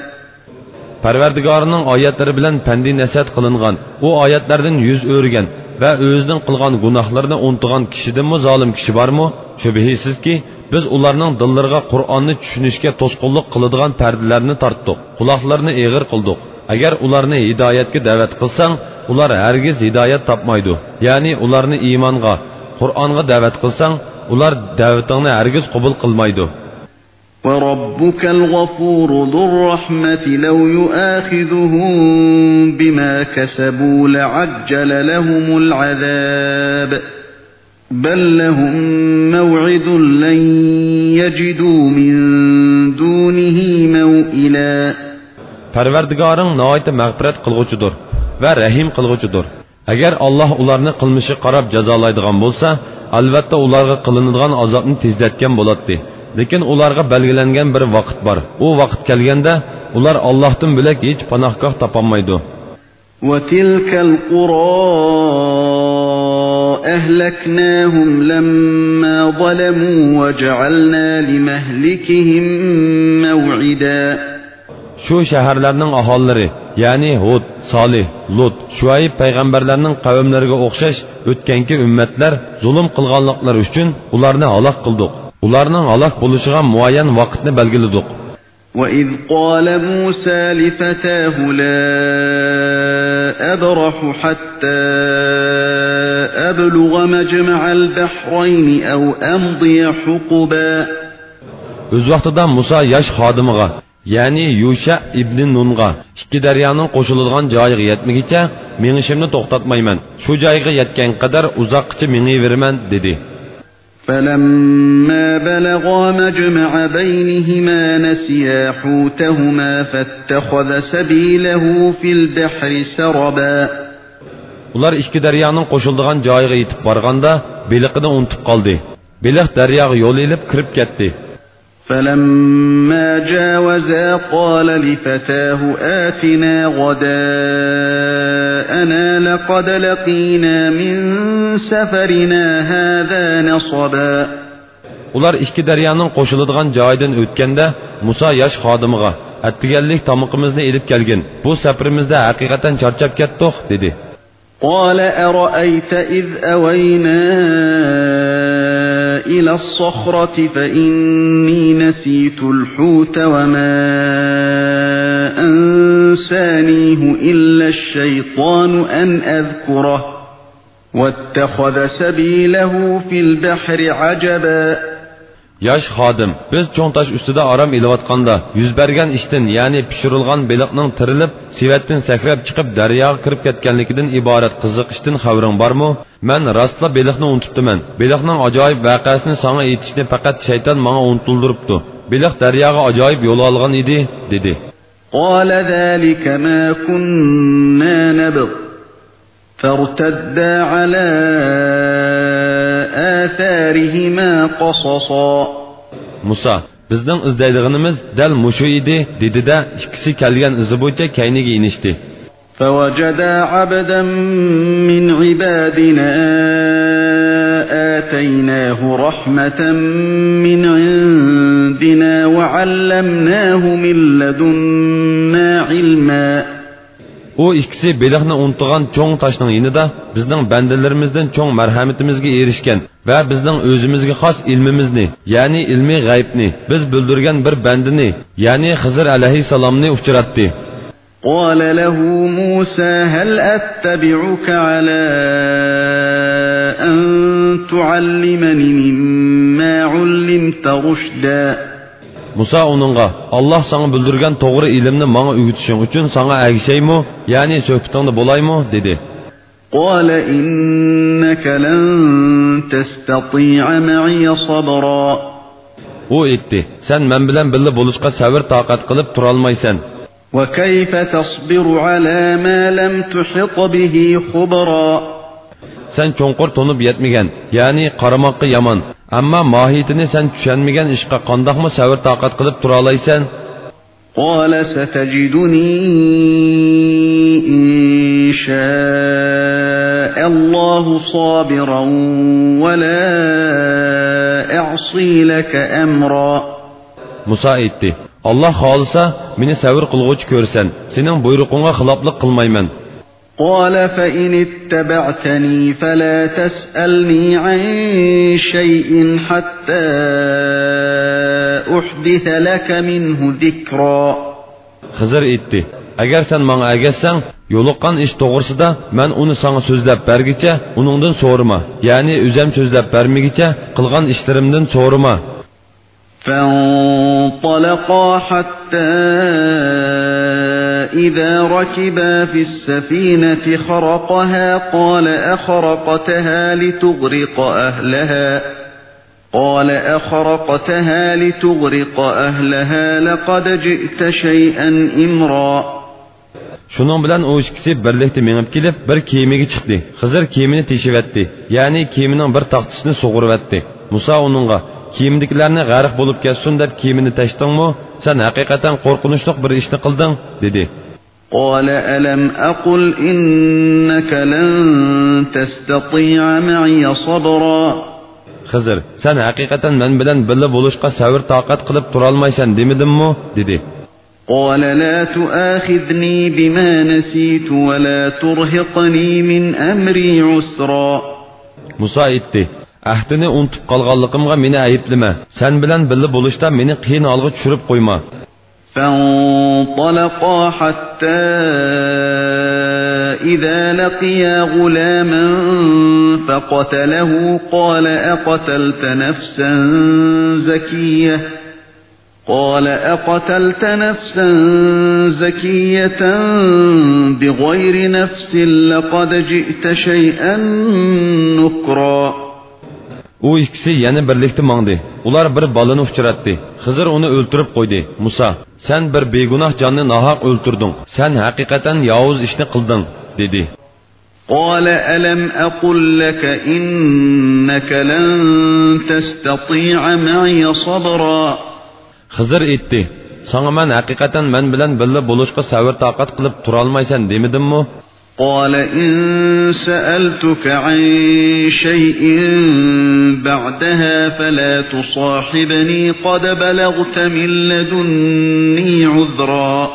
پەرۋەردىگارىنىڭ ئايەتلىرى بىلەن پەندى نەسىھەت قىلىنغان، ئۇ ئايەتلەردىن يۈز ئۆرۈگەن ۋە ئۆزىنىڭ قىلغان گۇناھلىرىنى ئۇنتۇغان كىشىدىنمۇ زالىم كىشى بارمۇ؟ شۈبھىسىزكى، بىز ئۇلارنىڭ دىللىرىغا قۇرئاننى چۈشىنىشكە توسقۇنلۇق قىلىدىغان پەردىلەرنى تارتتۇق، قۇلاقلىرىنى ئېغىر قىلدۇق. ئەگەر ئۇلارنى ھىدايەتكە دەۋەت قىلساڭ، ئۇلار ھەرگىز ھىدايەت تاپمايدۇ، يەنى ئۇلارنى ئىمانغا، قۇرئانغا دەۋەت قىلساڭ، ئۇلار دەۋىتىڭنى ھەرگىز قوبۇل قىلمايدۇ. وربك الغفور ذو الرحمة لو يؤاخذهم بما كسبوا لعجل لهم العذاب بل لهم موعد لن يجدوا من دونه موئلا. پەرۋەردىگارىڭ ناھايىتى مەغپىرەت قىلغۇچىدۇر ۋە رەھىم قىلغۇچىدۇر. ئەگەر ئاللاھ ئۇلارنى قىلمىشىغا قاراپ جازالايدىغان بولسا، ئەلۋەتتە ئۇلارغا قىلىنىدىغان ئازابنى تېزلەتكەن بولاتتى. لېكىن ئۇلارغا بەلگىلەنگەن بىر ۋاقىت بار. ئۇ ۋاقىت كەلگەندە ئۇلار ئاللاھتىن بۆلەك ھېچ پاناھگاھ تاپالمايدۇ. وتلك القرى أهلكناهم لما ظلموا وجعلنا لمهلكهم موعدا. شۇ شەھەرلەرنىڭ ئاھالىلىرى، يەنى ھۇد، سالىھ، لۇت، شۇئەيب پەيغەمبەرلەرنىڭ قەۋملىرىگە ئوخشاش ئۆتكەنكى ئۈممەتلەر زۇلۇم قىلغانلىقلىرى ئۈچۈن ئۇلارنى ھالاك قىلدۇق. ئۇلارنىڭ ھالاك بولۇشىغا مۇئەييەن ۋاقىتنى بەلگىلىدۇق. وإذ قال موسى لفتاه لا أبرح حتى أبلغ مجمع البحرين أو أمضي حقبا. ئۆز ۋاقتىدا مۇسا ياش خادىمىغا، يەنى يۇشە ئىبنى نۇنغا، ئىككى دەريانىڭ قوشۇلىدىغان جايىغا يەتمىگىچە مېڭىشىمنى توختاتمايمەن، شۇ جايغا يەتكەن قەدەر ئۇزاققىچە مېڭىۋېرىمەن، دېدى. فلما بلغا مجمع بينهما نسيا حوتهما فاتخذ سبيله في البحر سربا. ئۇلار ئىككى دەريانىڭ قوشۇلىدىغان جايىغا يېتىپ بارغاندا، بېلىقىنى ئۇنتۇپ قالدى. بېلىق دەرياغا يول ئېلىپ كىرىپ كەتتى. فلما جاوزا قال لفتاه آتنا غداءنا لقد لقينا من سفرنا هذا نصبا. ئۇلار ئىككى دەريانىڭ قوشۇلىدىغان جايىدىن ئۆتكەندە، مۇسا ياش خادىمىغا، ئەتىگەنلىك تامىقىمىزنى ئېلىپ كەلگىن، بۇ سەپىرىمىزدە ھەقىقەتەن چارچاپ كەتتۇق، دېدى. قال أرأيت إذ أوينا إلى الصخرة فإني نسيت الحوت وما أنسانيه إلا الشيطان أن أذكره واتخذ سبيله في البحر عجبا. ياش خادىم، بىز چوڭ تاش ئۈستىدە ئارام ئېلىۋاتقاندا، يۈز بەرگەن ئىشتىن، يەنى پىشۇرۇلغان بېلىقنىڭ تىرىلىپ، سېۋەتتىن سەكرەپ چىقىپ، دەرياغا كىرىپ كەتكەنلىكىدىن ئىبارەت قىزىق ئىشتىن خەۋىرىڭ بارمۇ؟ مەن راستلا بېلىقنى ئۇنتۇپتىمەن. بېلىقنىڭ ئاجايىپ ۋەقەسىنى ساڭا ئېيتىشنى پەقەت شەيتان ماڭا ئۇنتۇلدۇرۇپتۇ. بېلىق دەرياغا ئاجايىپ يول ئالغان ئىدى، دېدى. قال ذلك ما كنا نبغ فارتدا على آثارهما قصصا. مۇسا، بىزنىڭ ئىزدەيدىغىنىمىز دەل مۇشۇ ئىدى، دېدى-دە، ئىككىسى كەلگەن ئىزى بويىچە كەينىگە ئېنىشتى. فوجدا عبدا من عبادنا آتيناه رحمة من عندنا وعلمناه من لدنا علما. ئۇ ئىككىسى بېلىقنى ئۇنتۇغان چوڭ تاشنىڭ يېنىدا بىزنىڭ بەندىلىرىمىزدىن چوڭ مەرھەمىتىمىزگە ئېرىشكەن ۋە بىزنىڭ ئۆزىمىزگە خاس ئىلمىمىزنى، يەنى ئىلمىي غەيبنى، بىز بىلدۈرگەن بىر بەندىنى، يەنى خىزىر ئەلەيھىسسالامنى ئۇچراتتى. قال له موسى هل أتبعك على أن تعلمن مما علمت رشدا. مۇسا ئۇنىڭغا، ئاللاھ ساڭا بىلدۈرگەن توغرا ئىلىمنى ماڭا ئۆگىتىشىڭ ئۈچۈن ساڭا ئەگىشەيمۇ، يەنى سۆھبىتىڭدە بولايمۇ؟ دېدى. قال إنك لن تستطيع معي صبرا. ئۇ ئېيتتى، سەن مەن بىلەن بىللە بولۇشقا سەۋر-تاقەت قىلىپ تۇرالمايسەن. وكيف تصبر على ما لم تحط به خبرا. سەن چوڭقۇر تونۇپ يەتمىگەن، يەنى قارىماققا يامان، ئەمما ماھىيىتىنى سەن چۈشەنمىگەن ئىشقا قانداقمۇ سەۋر-تاقەت قىلىپ تۇرالايسەن؟ قال ستجدني إن شاء الله صابرا ولا أعصي لك أمرا. مۇسا ئېيتتى، ئاللاھ خالىسا، مېنى سەۋر قىلغۇچى كۆرىسەن، سېنىڭ بۇيرۇقۇڭغا خىلاپلىق قىلمايمەن. قال فإن اتبعتني فلا تسألني عن شيء حتى أحدث لك منه ذكرا. خىزىر ئېيتتى، ئەگەر سەن ماڭا ئەگەشسەڭ، يولۇققان ئىش توغرىسىدا مەن ئۇنى ساڭا سۆزلەپ بەرگىچە ئۇنىڭدىن سورىما، يەنى ئۆزەم سۆزلەپ بەرمىگىچە قىلغان ئىشلىرىمدىن سورىما. فانطلقا حتى إذا ركبا في السفينة خرقها قال أخرقتها لتغرق أهلها قال أخرقتها لتغرق أهلها لقد جئت شيئا إمرا. شۇنىڭ بىلەن ئۇ ئىككىسى بىرلىكتە مېڭىپ كېلىپ، بىر كېمىگە چىقتى. خىزىر كېمىنى تېشىۋەتتى، يەنى كېمىنىڭ بىر تاختىسىنى سۇغۇرۇۋەتتى. مۇسا ئۇنىڭغا، كېمىدىكىلەرنى غەرق بولۇپ كەتسۇن دەپ كېمىنى تەشتىڭمۇ؟ سەن ھەقىقەتەن قورقۇنچلۇق بىر ئىشنى قىلدىڭ، دېدى. قال ألم أقل إنك لن تستطيع معي صبرا. خىزىر، سەن ھەقىقەتەن مەن بىلەن بىللە بولۇشقا سەۋر-تاقەت قىلىپ تۇرالمايسەن دېمىدىممۇ؟ دېدى. قال لا تؤاخذني بما نسيت ولا ترهقني من أمري عسرا. مۇسا ئېيتتى، ئەھدىنى ئۇنتۇپ قالغانلىقىمغا مېنى ئەيىبلىمە، سەن بىلەن بىللە بولۇشتا مېنى قىيىن ھالغا چۈشۈرۈپ قويما. فانطلقا حتى إذا لقيا غلاما فقتله قال أقتلت نفسا زكية قال أقتلت نفسا زكية بغير نفس لقد جئت شيئا نكرا. ئۇ ئىككىسى يەنە بىرلىكتە ماڭدى. ئۇلار بىر بالىنى ئۇچراتتى. خىزىر ئۇنى ئۆلتۈرۈپ قويدى. مۇسا، سەن بىر بىگۇناھ جاننى ناھەق ئۆلتۈردۈڭ. سەن ھەقىقەتەن ياۋۇز ئىشنى قىلدىڭ، دېدى. قال ألم أقل لك إنك لن تستطيع معي صبرا. خىزىر ئېيتتى: ساڭا مەن ھەقىقەتەن مەن بىلەن بىللە بولۇشقا سەۋر-تاقەت قىلىپ تۇرالمايسەن دېمىدىممۇ؟ قال إن سألتك عن شيء بعدها فلا تصاحبني قد بلغت من لدني عذرا.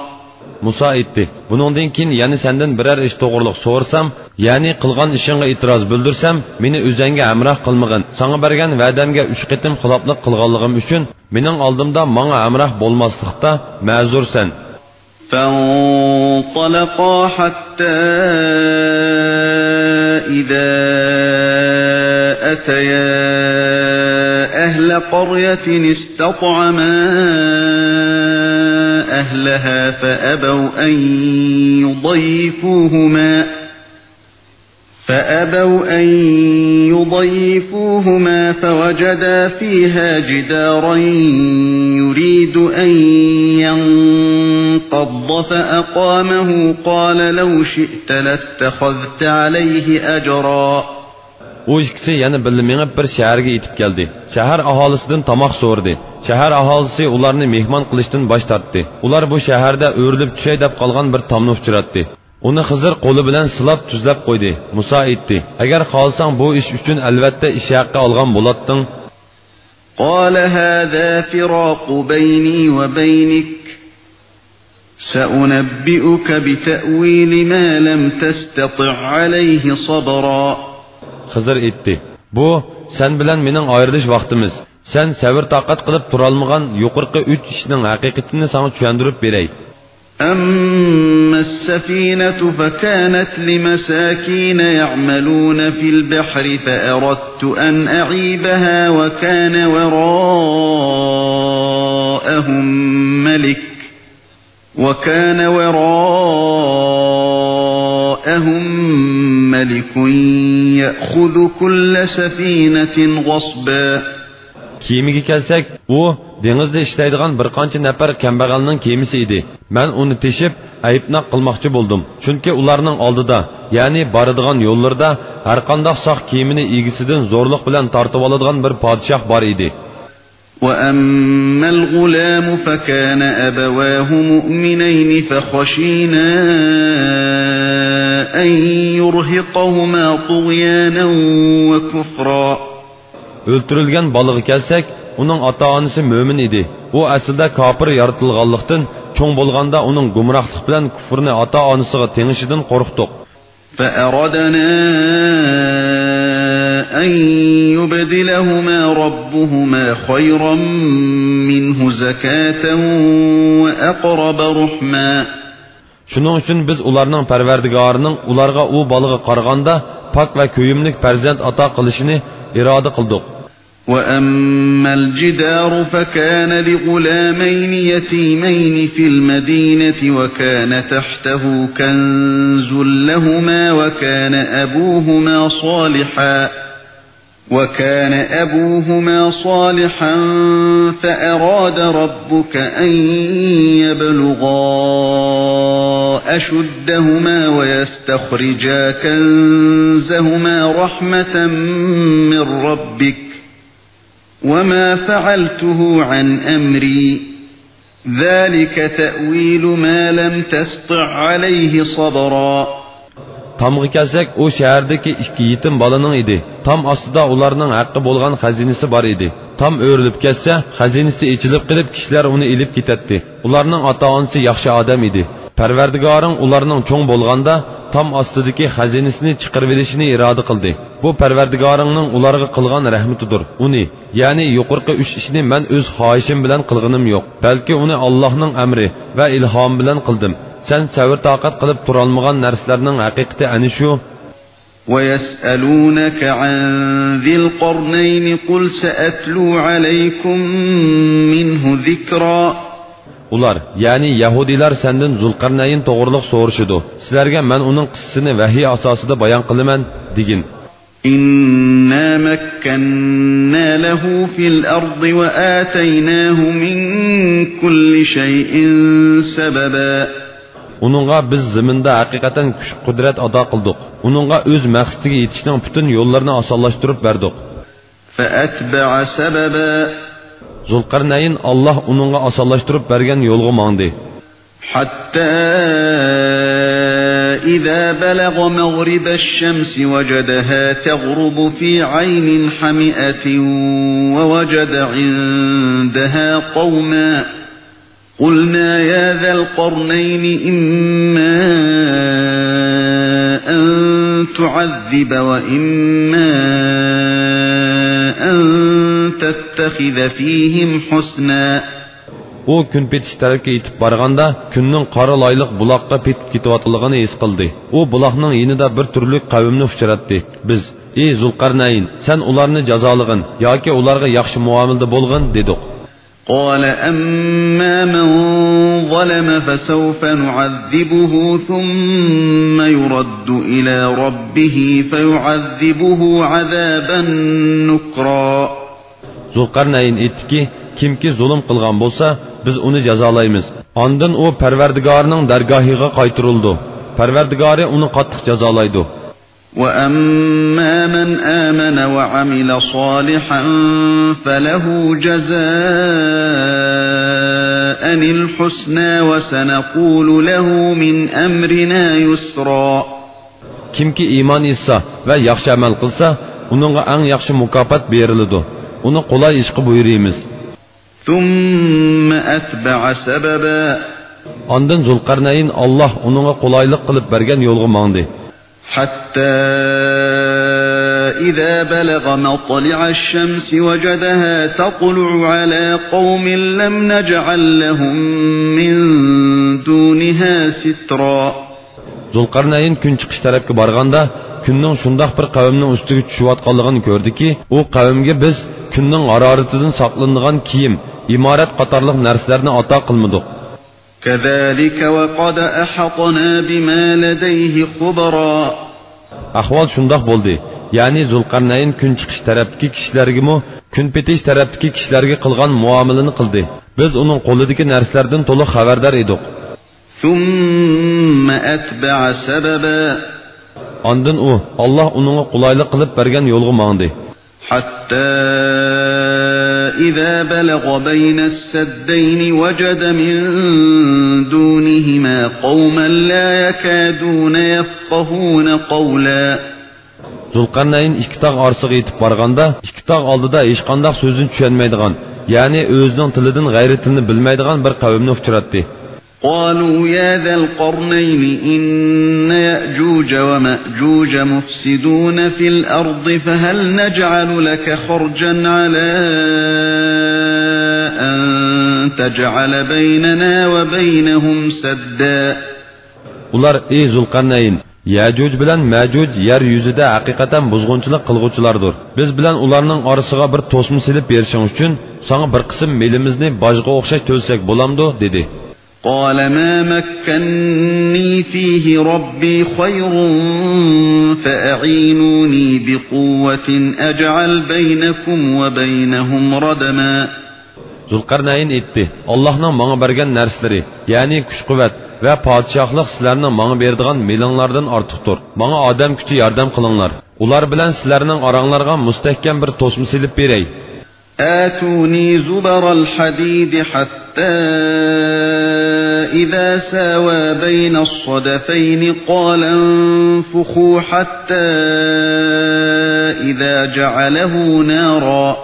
مۇسا ئېيتتى: بۇنىڭدىن كېيىن يەنە سەندىن بىرەر ئىش توغرۇلۇق سورىسام، يەنى قىلغان ئىشىڭغا ئېتىراز بىلدۈرسەم، مېنى ئۆزەڭگە ھەمراھ قىلمىغىن. ساڭا بەرگەن ۋەدەمگە ئۈچ قېتىم خىلاپلىق قىلغانلىقىم ئۈچۈن مېنىڭ ئالدىمدا ماڭا ھەمراھ بولماسلىقتا مەزۇرسەن. فانطلقا حتى إذا أتيا أهل قرية استطعما أهلها فأبوا أن يضيفوهما فأبوا أن يضيفوهما فوجدا فيها جدارا يريد أن ينقض فأقامه قال لو شئت لاتخذت عليه أجرا. ئۇ ئىككىسى يەنە بىللە مېڭىپ بىر شەھەرگە يېتىپ كەلدى. شەھەر ئاھالىسىدىن تاماق سورىدى. شەھەر ئاھالىسى ئۇلارنى مېھمان قىلىشتىن باش تارتتى. ئۇلار بۇ شەھەردە ئۆرۈلۈپ چۈشەي دەپ قالغان بىر تامنى ئۇچراتتى. ئۇنى خىزىر قولى بىلەن سىلاپ تۈزلەپ قويدى. مۇسا ئېيتتى: ئەگەر خالىساڭ بۇ ئىش ئۈچۈن ئەلۋەتتە ئىش ھەققى ئالغان بولاتتىڭ. قال هذا فراق بيني وبينك سأنبئك بتأويل ما لم تستطع عليه صبرا. خىزىر ئېيتتى: بۇ سەن بىلەن مېنىڭ ئايرىلىش ۋاقتىمىز. سەن سەۋر-تاقەت قىلىپ تۇرالمىغان يۇقىرىقى ئۈچ ئىشنىڭ ھەقىقىتىنى ساڭا چۈشەندۈرۈپ بېرەي. أما السفينة فكانت لمساكين يعملون في البحر فأردت أن أعيبها وكان وراءهم ملك وكان وراءهم ملك يأخذ كل سفينة غصبا. كېمىگە كەلسەك، ئۇ دېڭىزدا ئىشلەيدىغان بىر قانچە نەپەر كەمبەغەلنىڭ كېمىسى ئىدى. مەن ئۇنى تېشىپ، ئەيىبناق قىلماقچى بولدۇم. چۈنكى ئۇلارنىڭ ئالدىدا، يەنى بارىدىغان يوللىرىدا ھەرقانداق ساق كېمىنى ئىگىسىدىن زورلۇق بىلەن تارتىۋالىدىغان بىر پادىشاھ بار ئىدى. وأما الغلام فكان أبواه مؤمنين فخشينا أن يرهقهما طغيانا وكفرا. ئۆلتۈرۈلگەن بالىغا كەلسەك، ئۇنىڭ ئاتا-ئانىسى مۆمىن ئىدى. ئۇ ئەسلىدە كاپىر يارىتىلغانلىقتىن، چوڭ بولغاندا ئۇنىڭ گۇمراھلىق بىلەن كۇفرىنى ئاتا-ئانىسىغا تېڭىشىدىن قورقتۇق. فأردنا أن يبدلهما ربهما خيرا منه زكاة وأقرب رحما. شۇنىڭ ئۈچۈن بىز ئۇلارنىڭ پەرۋەردىگارىنىڭ ئۇلارغا ئۇ بالىغا قارىغاندا پاك ۋە كۆيۈملۈك پەرزەنت ئاتا قىلىشىنى ئىرادە قىلدۇق. وأما الجدار فكان لغلامين يتيمين في المدينة وكان تحته كنز لهما وكان أبوهما صالحا وكان أبوهما صالحا فأراد ربك أن يبلغا أشدهما ويستخرجا كنزهما رحمة من ربك وما فعلته عن أمري ذلك تأويل ما لم تسطع عليه صبرا. تامغا كەلسەك، ئۇ شەھەردىكى ئىككى يېتىم بالىنىڭ ئىدى. تام ئاستىدا ئۇلارنىڭ ھەققى بولغان خەزىنىسى بار ئىدى. تام ئۆرۈلۈپ كەتسە، خەزىنىسى ئېچىلىپ قېلىپ، كىشىلەر ئۇنى ئېلىپ كېتەتتى. ئۇلارنىڭ ئاتا-ئانىسى ياخشى ئادەم ئىدى. پەرۋەردىگارىڭ ئۇلارنىڭ چوڭ بولغاندا تام ئاستىدىكى خەزىنىسىنى چىقىرىۋېلىشىنى ئىرادە قىلدى. بۇ پەرۋەردىگارىڭنىڭ ئۇلارغا قىلغان رەھمىتىدۇر. ئۇنى، يەنى يۇقىرىقى ئۈچ ئىشنى مەن ئۆز خاھىشىم بىلەن قىلغىنىم يوق، بەلكى ئۇنى ئاللاھنىڭ ئەمرى ۋە ئىلھامى بىلەن قىلدىم. سەن سەۋر-تاقەت قىلىپ تۇرالمىغان نەرسىلەرنىڭ ھەقىقىتى ئەنە شۇ. ويسألونك عن ذي القرنين قل سأتلو عليكم منه ذكرا. ئۇلار، يەنى يەھۇدىيلار سەندىن زۇلقەرنەين توغرۇلۇق سورىشىدۇ. سىلەرگە مەن ئۇنىڭ قىسسىسىنى ۋەھىي ئاساسىدا بايان قىلىمەن، دېگىن. إنا مكنا له في الأرض وآتيناه من كل شيء سببا. ئۇنىڭغا بىز زېمىندا ھەقىقەتەن كۈچ-قۇدرەت ئاتا قىلدۇق. ئۇنىڭغا ئۆز مەقسىتىگە يېتىشنىڭ پۈتۈن يوللىرىنى ئاسانلاشتۇرۇپ بەردۇق. فأتبع سببا. زۇلقەرنەيىن، ئاللاھ ئۇنىڭغا ئاسانلاشتۇرۇپ بەرگەن يولغا ماڭدى. حتى إذا بلغ مغرب الشمس وجدها تغرب في عين حمئة ووجد عندها قوما قلنا يا ذا القرنين إما أن تعذب وإما أن تتخذ فيهم حسنا. ئۇ كۈن پېتىش تەرەپكە يېتىپ بارغاندا، كۈننىڭ قارا لايلىق بۇلاققا پېتىپ كېتىۋاتقانلىقىنى ھېس قىلدى. ئۇ بۇلاقنىڭ يېنىدا بىر تۈرلۈك قەۋمنى ئۇچراتتى. بىز، ئى زۇلقەرنەين، سەن ئۇلارنى جازالىغىن ياكى ئۇلارغا ياخشى مۇئامىلىدە بولغىن، دېدۇق. قال أما من ظلم فسوف نعذبه ثم يرد إلى ربه فيعذبه عذابا نكرا. زۇلقەرنەين ئېيتتىكى، كىمكى زۇلۇم قىلغان بولسا، بىز ئۇنى جازالايمىز. ئاندىن ئۇ پەرۋەردىگارىنىڭ دەرگاھىغا قايتۇرۇلىدۇ. پەرۋەردىگارى ئۇنى قاتتىق جازالايدۇ. وأما من آمن وعمل صالحا فله جزاء الحسنى وسنقول له من أمرنا يسرا. كىمكى ئىمان ئېيتسا ۋە ياخشى ئەمەل قىلسا، ئۇنىڭغا ئەڭ ياخشى مۇكاپات بېرىلىدۇ. ئۇنى قولاي ئىشقا بۇيرۇيمىز. ثم أتبع سببا. ئاندىن زۇلقەرنەين، ئاللاھ ئۇنىڭغا قولايلىق قىلىپ بەرگەن يولغا ماڭدى. حتى إذا بلغ مطلع الشمس وجدها تطلع على قوم لم نجعل لهم من دونها سترا. زۇلقەرنەين كۈن چىقىش تەرەپكە بارغاندا، كۈننىڭ شۇنداق بىر قەۋمنىڭ ئۈستىگە چۈشۈۋاتقانلىقىنى كۆردىكى، ئۇ قەۋمگە بىز كۈننىڭ ھارارىتىدىن ساقلىنىدىغان كىيىم، ئىمارەت قاتارلىق نەرسىلەرنى ئاتا قىلمىدۇق. كذلك وقد أحطنا بما لديه خبرا. ئەھۋال شۇنداق بولدى، يەنى زۇلقەرنەين كۈن چىقىش تەرەپتىكى كىشىلەرگىمۇ، كۈن پېتىش تەرەپتىكى كىشىلەرگە قىلغان مۇئامىلىنى قىلدى. بىز ئۇنىڭ قولىدىكى نەرسىلەردىن تولۇق خەۋەردار ئىدۇق. ثم أتبع سببا. ئاندىن ئۇ، ئاللاھ ئۇنىڭغا قولايلىق قىلىپ بەرگەن يولغا ماڭدى. حتى إذا بلغ بين السدين وجد من دونهما قوما لا يكادون يفقهون قولا. زۇلقەرنەين ئىككى تاغ ئارىسىغا يېتىپ بارغاندا، ئىككى تاغ ئالدىدا ھېچقانداق سۆزنى چۈشەنمەيدىغان، يەنى ئۆزىنىڭ تىلىدىن غەيرىي تىلنى بىلمەيدىغان بىر قەۋمنى ئۇچراتتى. قالوا يا ذا القرنين إن يأجوج ومأجوج مفسدون في الأرض فهل نجعل لك خرجا على أن تجعل بيننا وبينهم سدا. ئۇلار، ئى زۇلقەرنەين، يەجۇج بىلەن مەجۇج يەر يۈزىدە ھەقىقەتەن بۇزغۇنچىلىق قىلغۇچىلاردۇر. بىز بىلەن ئۇلارنىڭ ئارىسىغا بىر توسما سېلىپ بېرىشىڭ ئۈچۈن، ساڭا بىر قىسىم مېلىمىزنى باجغا ئوخشاش تۆلىسەك بولامدۇ؟ دېدى. قال ما مكني فيه ربي خير فأعينوني بقوة أجعل بينكم وبينهم ردما. زۇلقەرنەين ئېيتتى، ئاللاھنىڭ ماڭا بەرگەن نەرسىلىرى، يەنى كۈچ-قۇۋۋەت ۋە پادىشاھلىق سىلەرنىڭ ماڭا بېرىدىغان مېلىڭلاردىن ئارتۇقتۇر. ماڭا ئادەم كۈچى ياردەم قىلىڭلار. ئۇلار بىلەن سىلەرنىڭ ئاراڭلارغا مۇستەھكەم بىر توسما سېلىپ بېرەي. آتوني زبر الحديد حتى إذا ساوى بين الصدفين قال انفخوا حتى إذا جعله نارا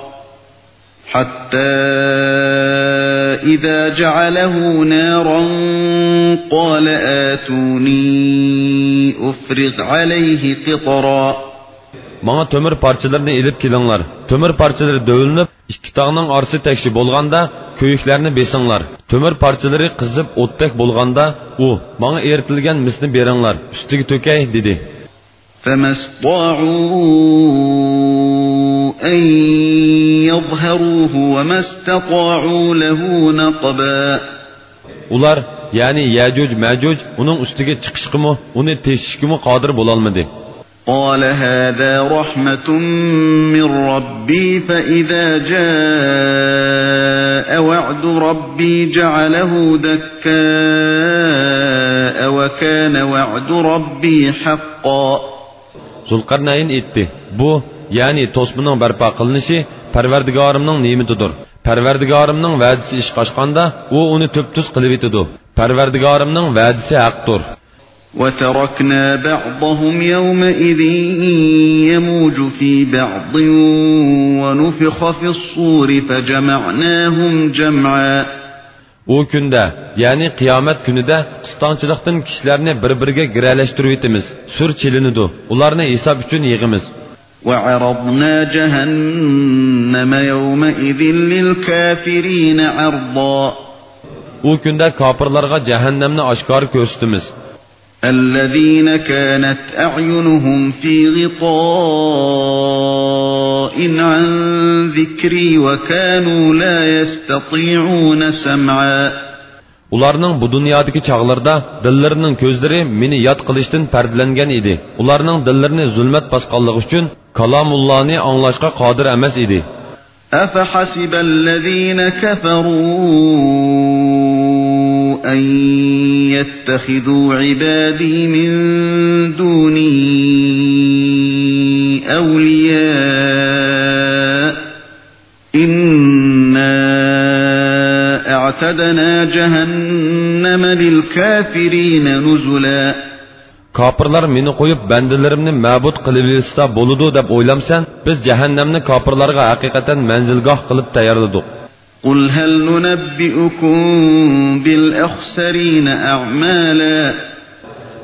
حتى إذا جعله نارا قال آتوني أفرغ عليه قطرا. ماڭا تۆمۈر پارچىلىرىنى ئېلىپ كېلىڭلار. تۆمۈر پارچىلىرى دۆۋىلىنىپ، ئىككى تاغنىڭ ئارىسى تەكشى بولغاندا، كۆيۈكلەرنى بېسىڭلار. تۆمۈر پارچىلىرى قىزىپ ئوتتەك بولغاندا، ئۇ، ماڭا ئېرىتىلگەن مىسنى بېرىڭلار، ئۈستىگە تۆكەي، دېدى. فما استطاعوا أن يظهروه وما استطاعوا له نقبا. ئۇلار، يەنى يەجۇج مەجۇج ئۇنىڭ ئۈستىگە چىقىشقىمۇ، ئۇنى تېشىشكىمۇ قادىر بولالمىدى. قال هذا رحمة من ربي فإذا جاء وعد ربي جعله دكاء وكان وعد ربي حقا. زۇلقەرنەين ئېيتتى، بۇ، يەنى توسمىنىڭ بەرپا قىلىنىشى پەرۋەردىگارىمنىڭ نېمىتىدۇر. پەرۋەردىگارىمنىڭ ۋەدىسى ئىشقا ئاشقاندا، ئۇ ئۇنى تۈپتۈز قىلىۋېتىدۇ. پەرۋەردىگارىمنىڭ ۋەدىسى ھەقتۇر. وتركنا بعضهم يومئذ يموج في بعض ونفخ في الصور فجمعناهم جمعا. ئۇ كۈندە، يەنى قىيامەت كۈنىدە قىستاڭچىلىقتىن كىشىلەرنى بىر-بىرىگە گىرەلەشتۈرۈۋېتىمىز. سۈر چېلىنىدۇ، ئۇلارنى ھېساب ئۈچۈن يىغىمىز. وعرضنا جهنم يومئذ للكافرين عرضا. ئۇ كۈندە كاپىرلارغا جەھەننەمنى ئاشكارا كۆرسىتىمىز. الذين كانت أعينهم في غطاء عن ذكري وكانوا لا يستطيعون سمعا. ئۇلارنىڭ بۇ دۇنيادىكى چاغلىرىدا دىللىرىنىڭ كۆزلىرى مېنى ياد قىلىشتىن پەردىلەنگەن ئىدى. ئۇلارنىڭ دىللىرىنى زۇلمەت باسقانلىقى ئۈچۈن كالامۇللانى ئاڭلاشقا قادىر ئەمەس ئىدى. أفحسب الذين كفروا أن يتخذوا عبادي من دوني أولياء إنا أعتدنا جهنم للكافرين نزلا. كاپىرلار مېنى قويۇپ، بەندىلىرىمنى مەبۇد قىلىۋېلىشسا بولىدۇ دەپ ئويلامسەن؟ بىز جەھەننەمنى كاپىرلارغا ھەقىقەتەن مەنزىلگاھ قىلىپ تەييارلىدۇق. قل هل ننبئكم بالأخسرين أعمالا.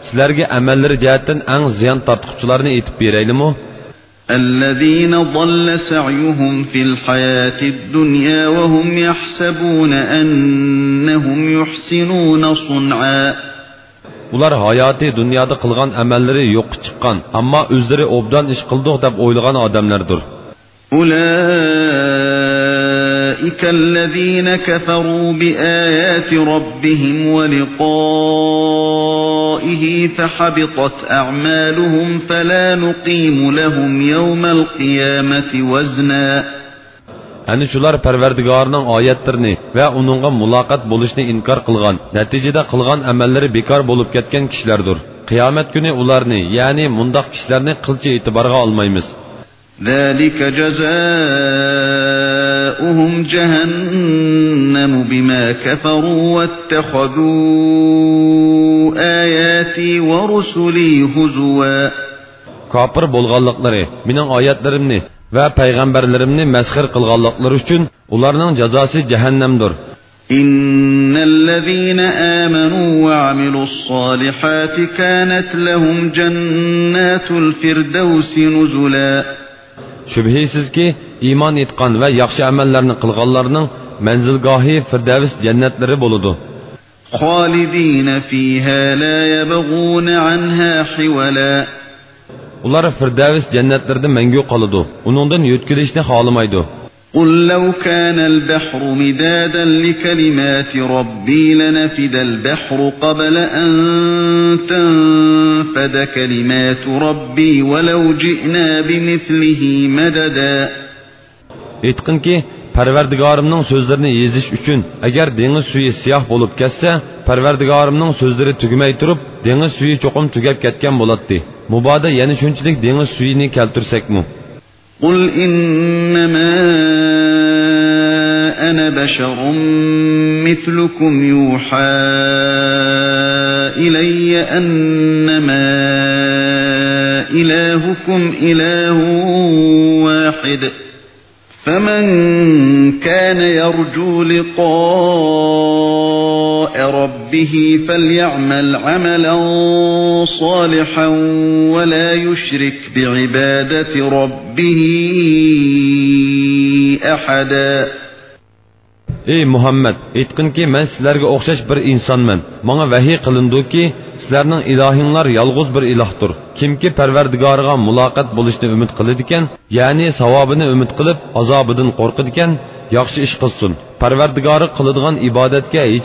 سىلەرگە ئەمەللىرى جەھەتتىن ئەڭ زىيان تارتقۇچىلارنى ئېيتىپ بېرەيلىمۇ؟ الذين ضل سعيهم في الحياة الدنيا وهم يحسبون أنهم يحسنون صنعا. ئۇلار ھاياتى دۇنيادا قىلغان ئەمەللىرى يوققا چىققان، ئەمما ئۆزلىرى ئوبدان ئىش قىلدۇق دەپ ئويلىغان ئادەملەردۇر. أولئك الذين كفروا بآيات ربهم ولقائه فحبطت أعمالهم فلا نقيم لهم يوم القيامة وزنا. ئەنە شۇلار پەرۋەردىگارىنىڭ ئايەتلىرىنى ۋە ئۇنىڭغا مۇلاقات بولۇشنى ئىنكار قىلغان، نەتىجىدە قىلغان ئەمەللىرى بىكار بولۇپ كەتكەن كىشىلەردۇر. قىيامەت كۈنى ئۇلارنى، يەنى مۇنداق كىشىلەرنى قىلچە ئېتىبارغا ئالمايمىز. ذلك جزاؤهم جهنم بما كفروا واتخذوا آياتي ورسلي هزوا. كاپىر بولغانلىقلىرى، مېنىڭ ئايەتلىرىمنى ۋە پەيغەمبەرلىرىمنى مەسخىرە قىلغانلىقلىرى ئۈچۈن ئۇلارنىڭ جازاسى جەھەننەمدۇر. إن الذين آمنوا وعملوا الصالحات كانت لهم جنات الفردوس نزلا. شۈبھىسىزكى، ئىمان ئېيتقان ۋە ياخشى ئەمەللەرنى قىلغانلارنىڭ مەنزىلگاھى فىردەۋس جەننەتلىرى بولىدۇ. خالدين فيها لا يبغون عنها حولا. ئۇلار فىردەۋس جەننەتلىرىدە مەڭگۈ قالىدۇ، ئۇنىڭدىن يۆتكىلىشنى خالىمايدۇ. قل لو كان البحر مدادا لكلمات ربي لنفد البحر قبل أن تنفد كلمات ربي ولو جئنا بمثله مددا. ئېيتقىنكى، پەرۋەردىگارىمنىڭ سۆزلىرىنى يېزىش ئۈچۈن، ئەگەر دېڭىز سۈيى سىياھ بولۇپ كەتسە، پەرۋەردىگارىمنىڭ سۆزلىرى تۈگىمەي تۇرۇپ، دېڭىز سۈيى چوقۇم تۈگەپ كەتكەن بولاتتى. مۇبادا يەنە شۇنچىلىك دېڭىز سۈيىنى كەلتۈرسەكمۇ. قل إنما أنا بشر مثلكم يوحى إلي أنما إلهكم إله واحد فمن كان يرجو لقاء ربه فليعمل عملا صالحا ولا يشرك بعبادة ربه أحدا. ئەي مۇھەممەد، ئېيتقىنكى، مەن سىلەرگە ئوخشاش بىر ئىنسانمەن. ماڭا ۋەھىي قىلىنىدۇكى، سىلەرنىڭ ئىلاھىڭلار يالغۇز بىر ئىلاھتۇر. كىمكى پەرۋەردىگارىغا مۇلاقات بولۇشنى ئۈمىد قىلىدىكەن، يەنى ساۋابىنى ئۈمىد قىلىپ، ئازابىدىن قورقىدىكەن، ياخشى ئىش قىلسۇن. پەرۋەردىگارىغا قىلىدىغان ئىبادەتكە ھېچ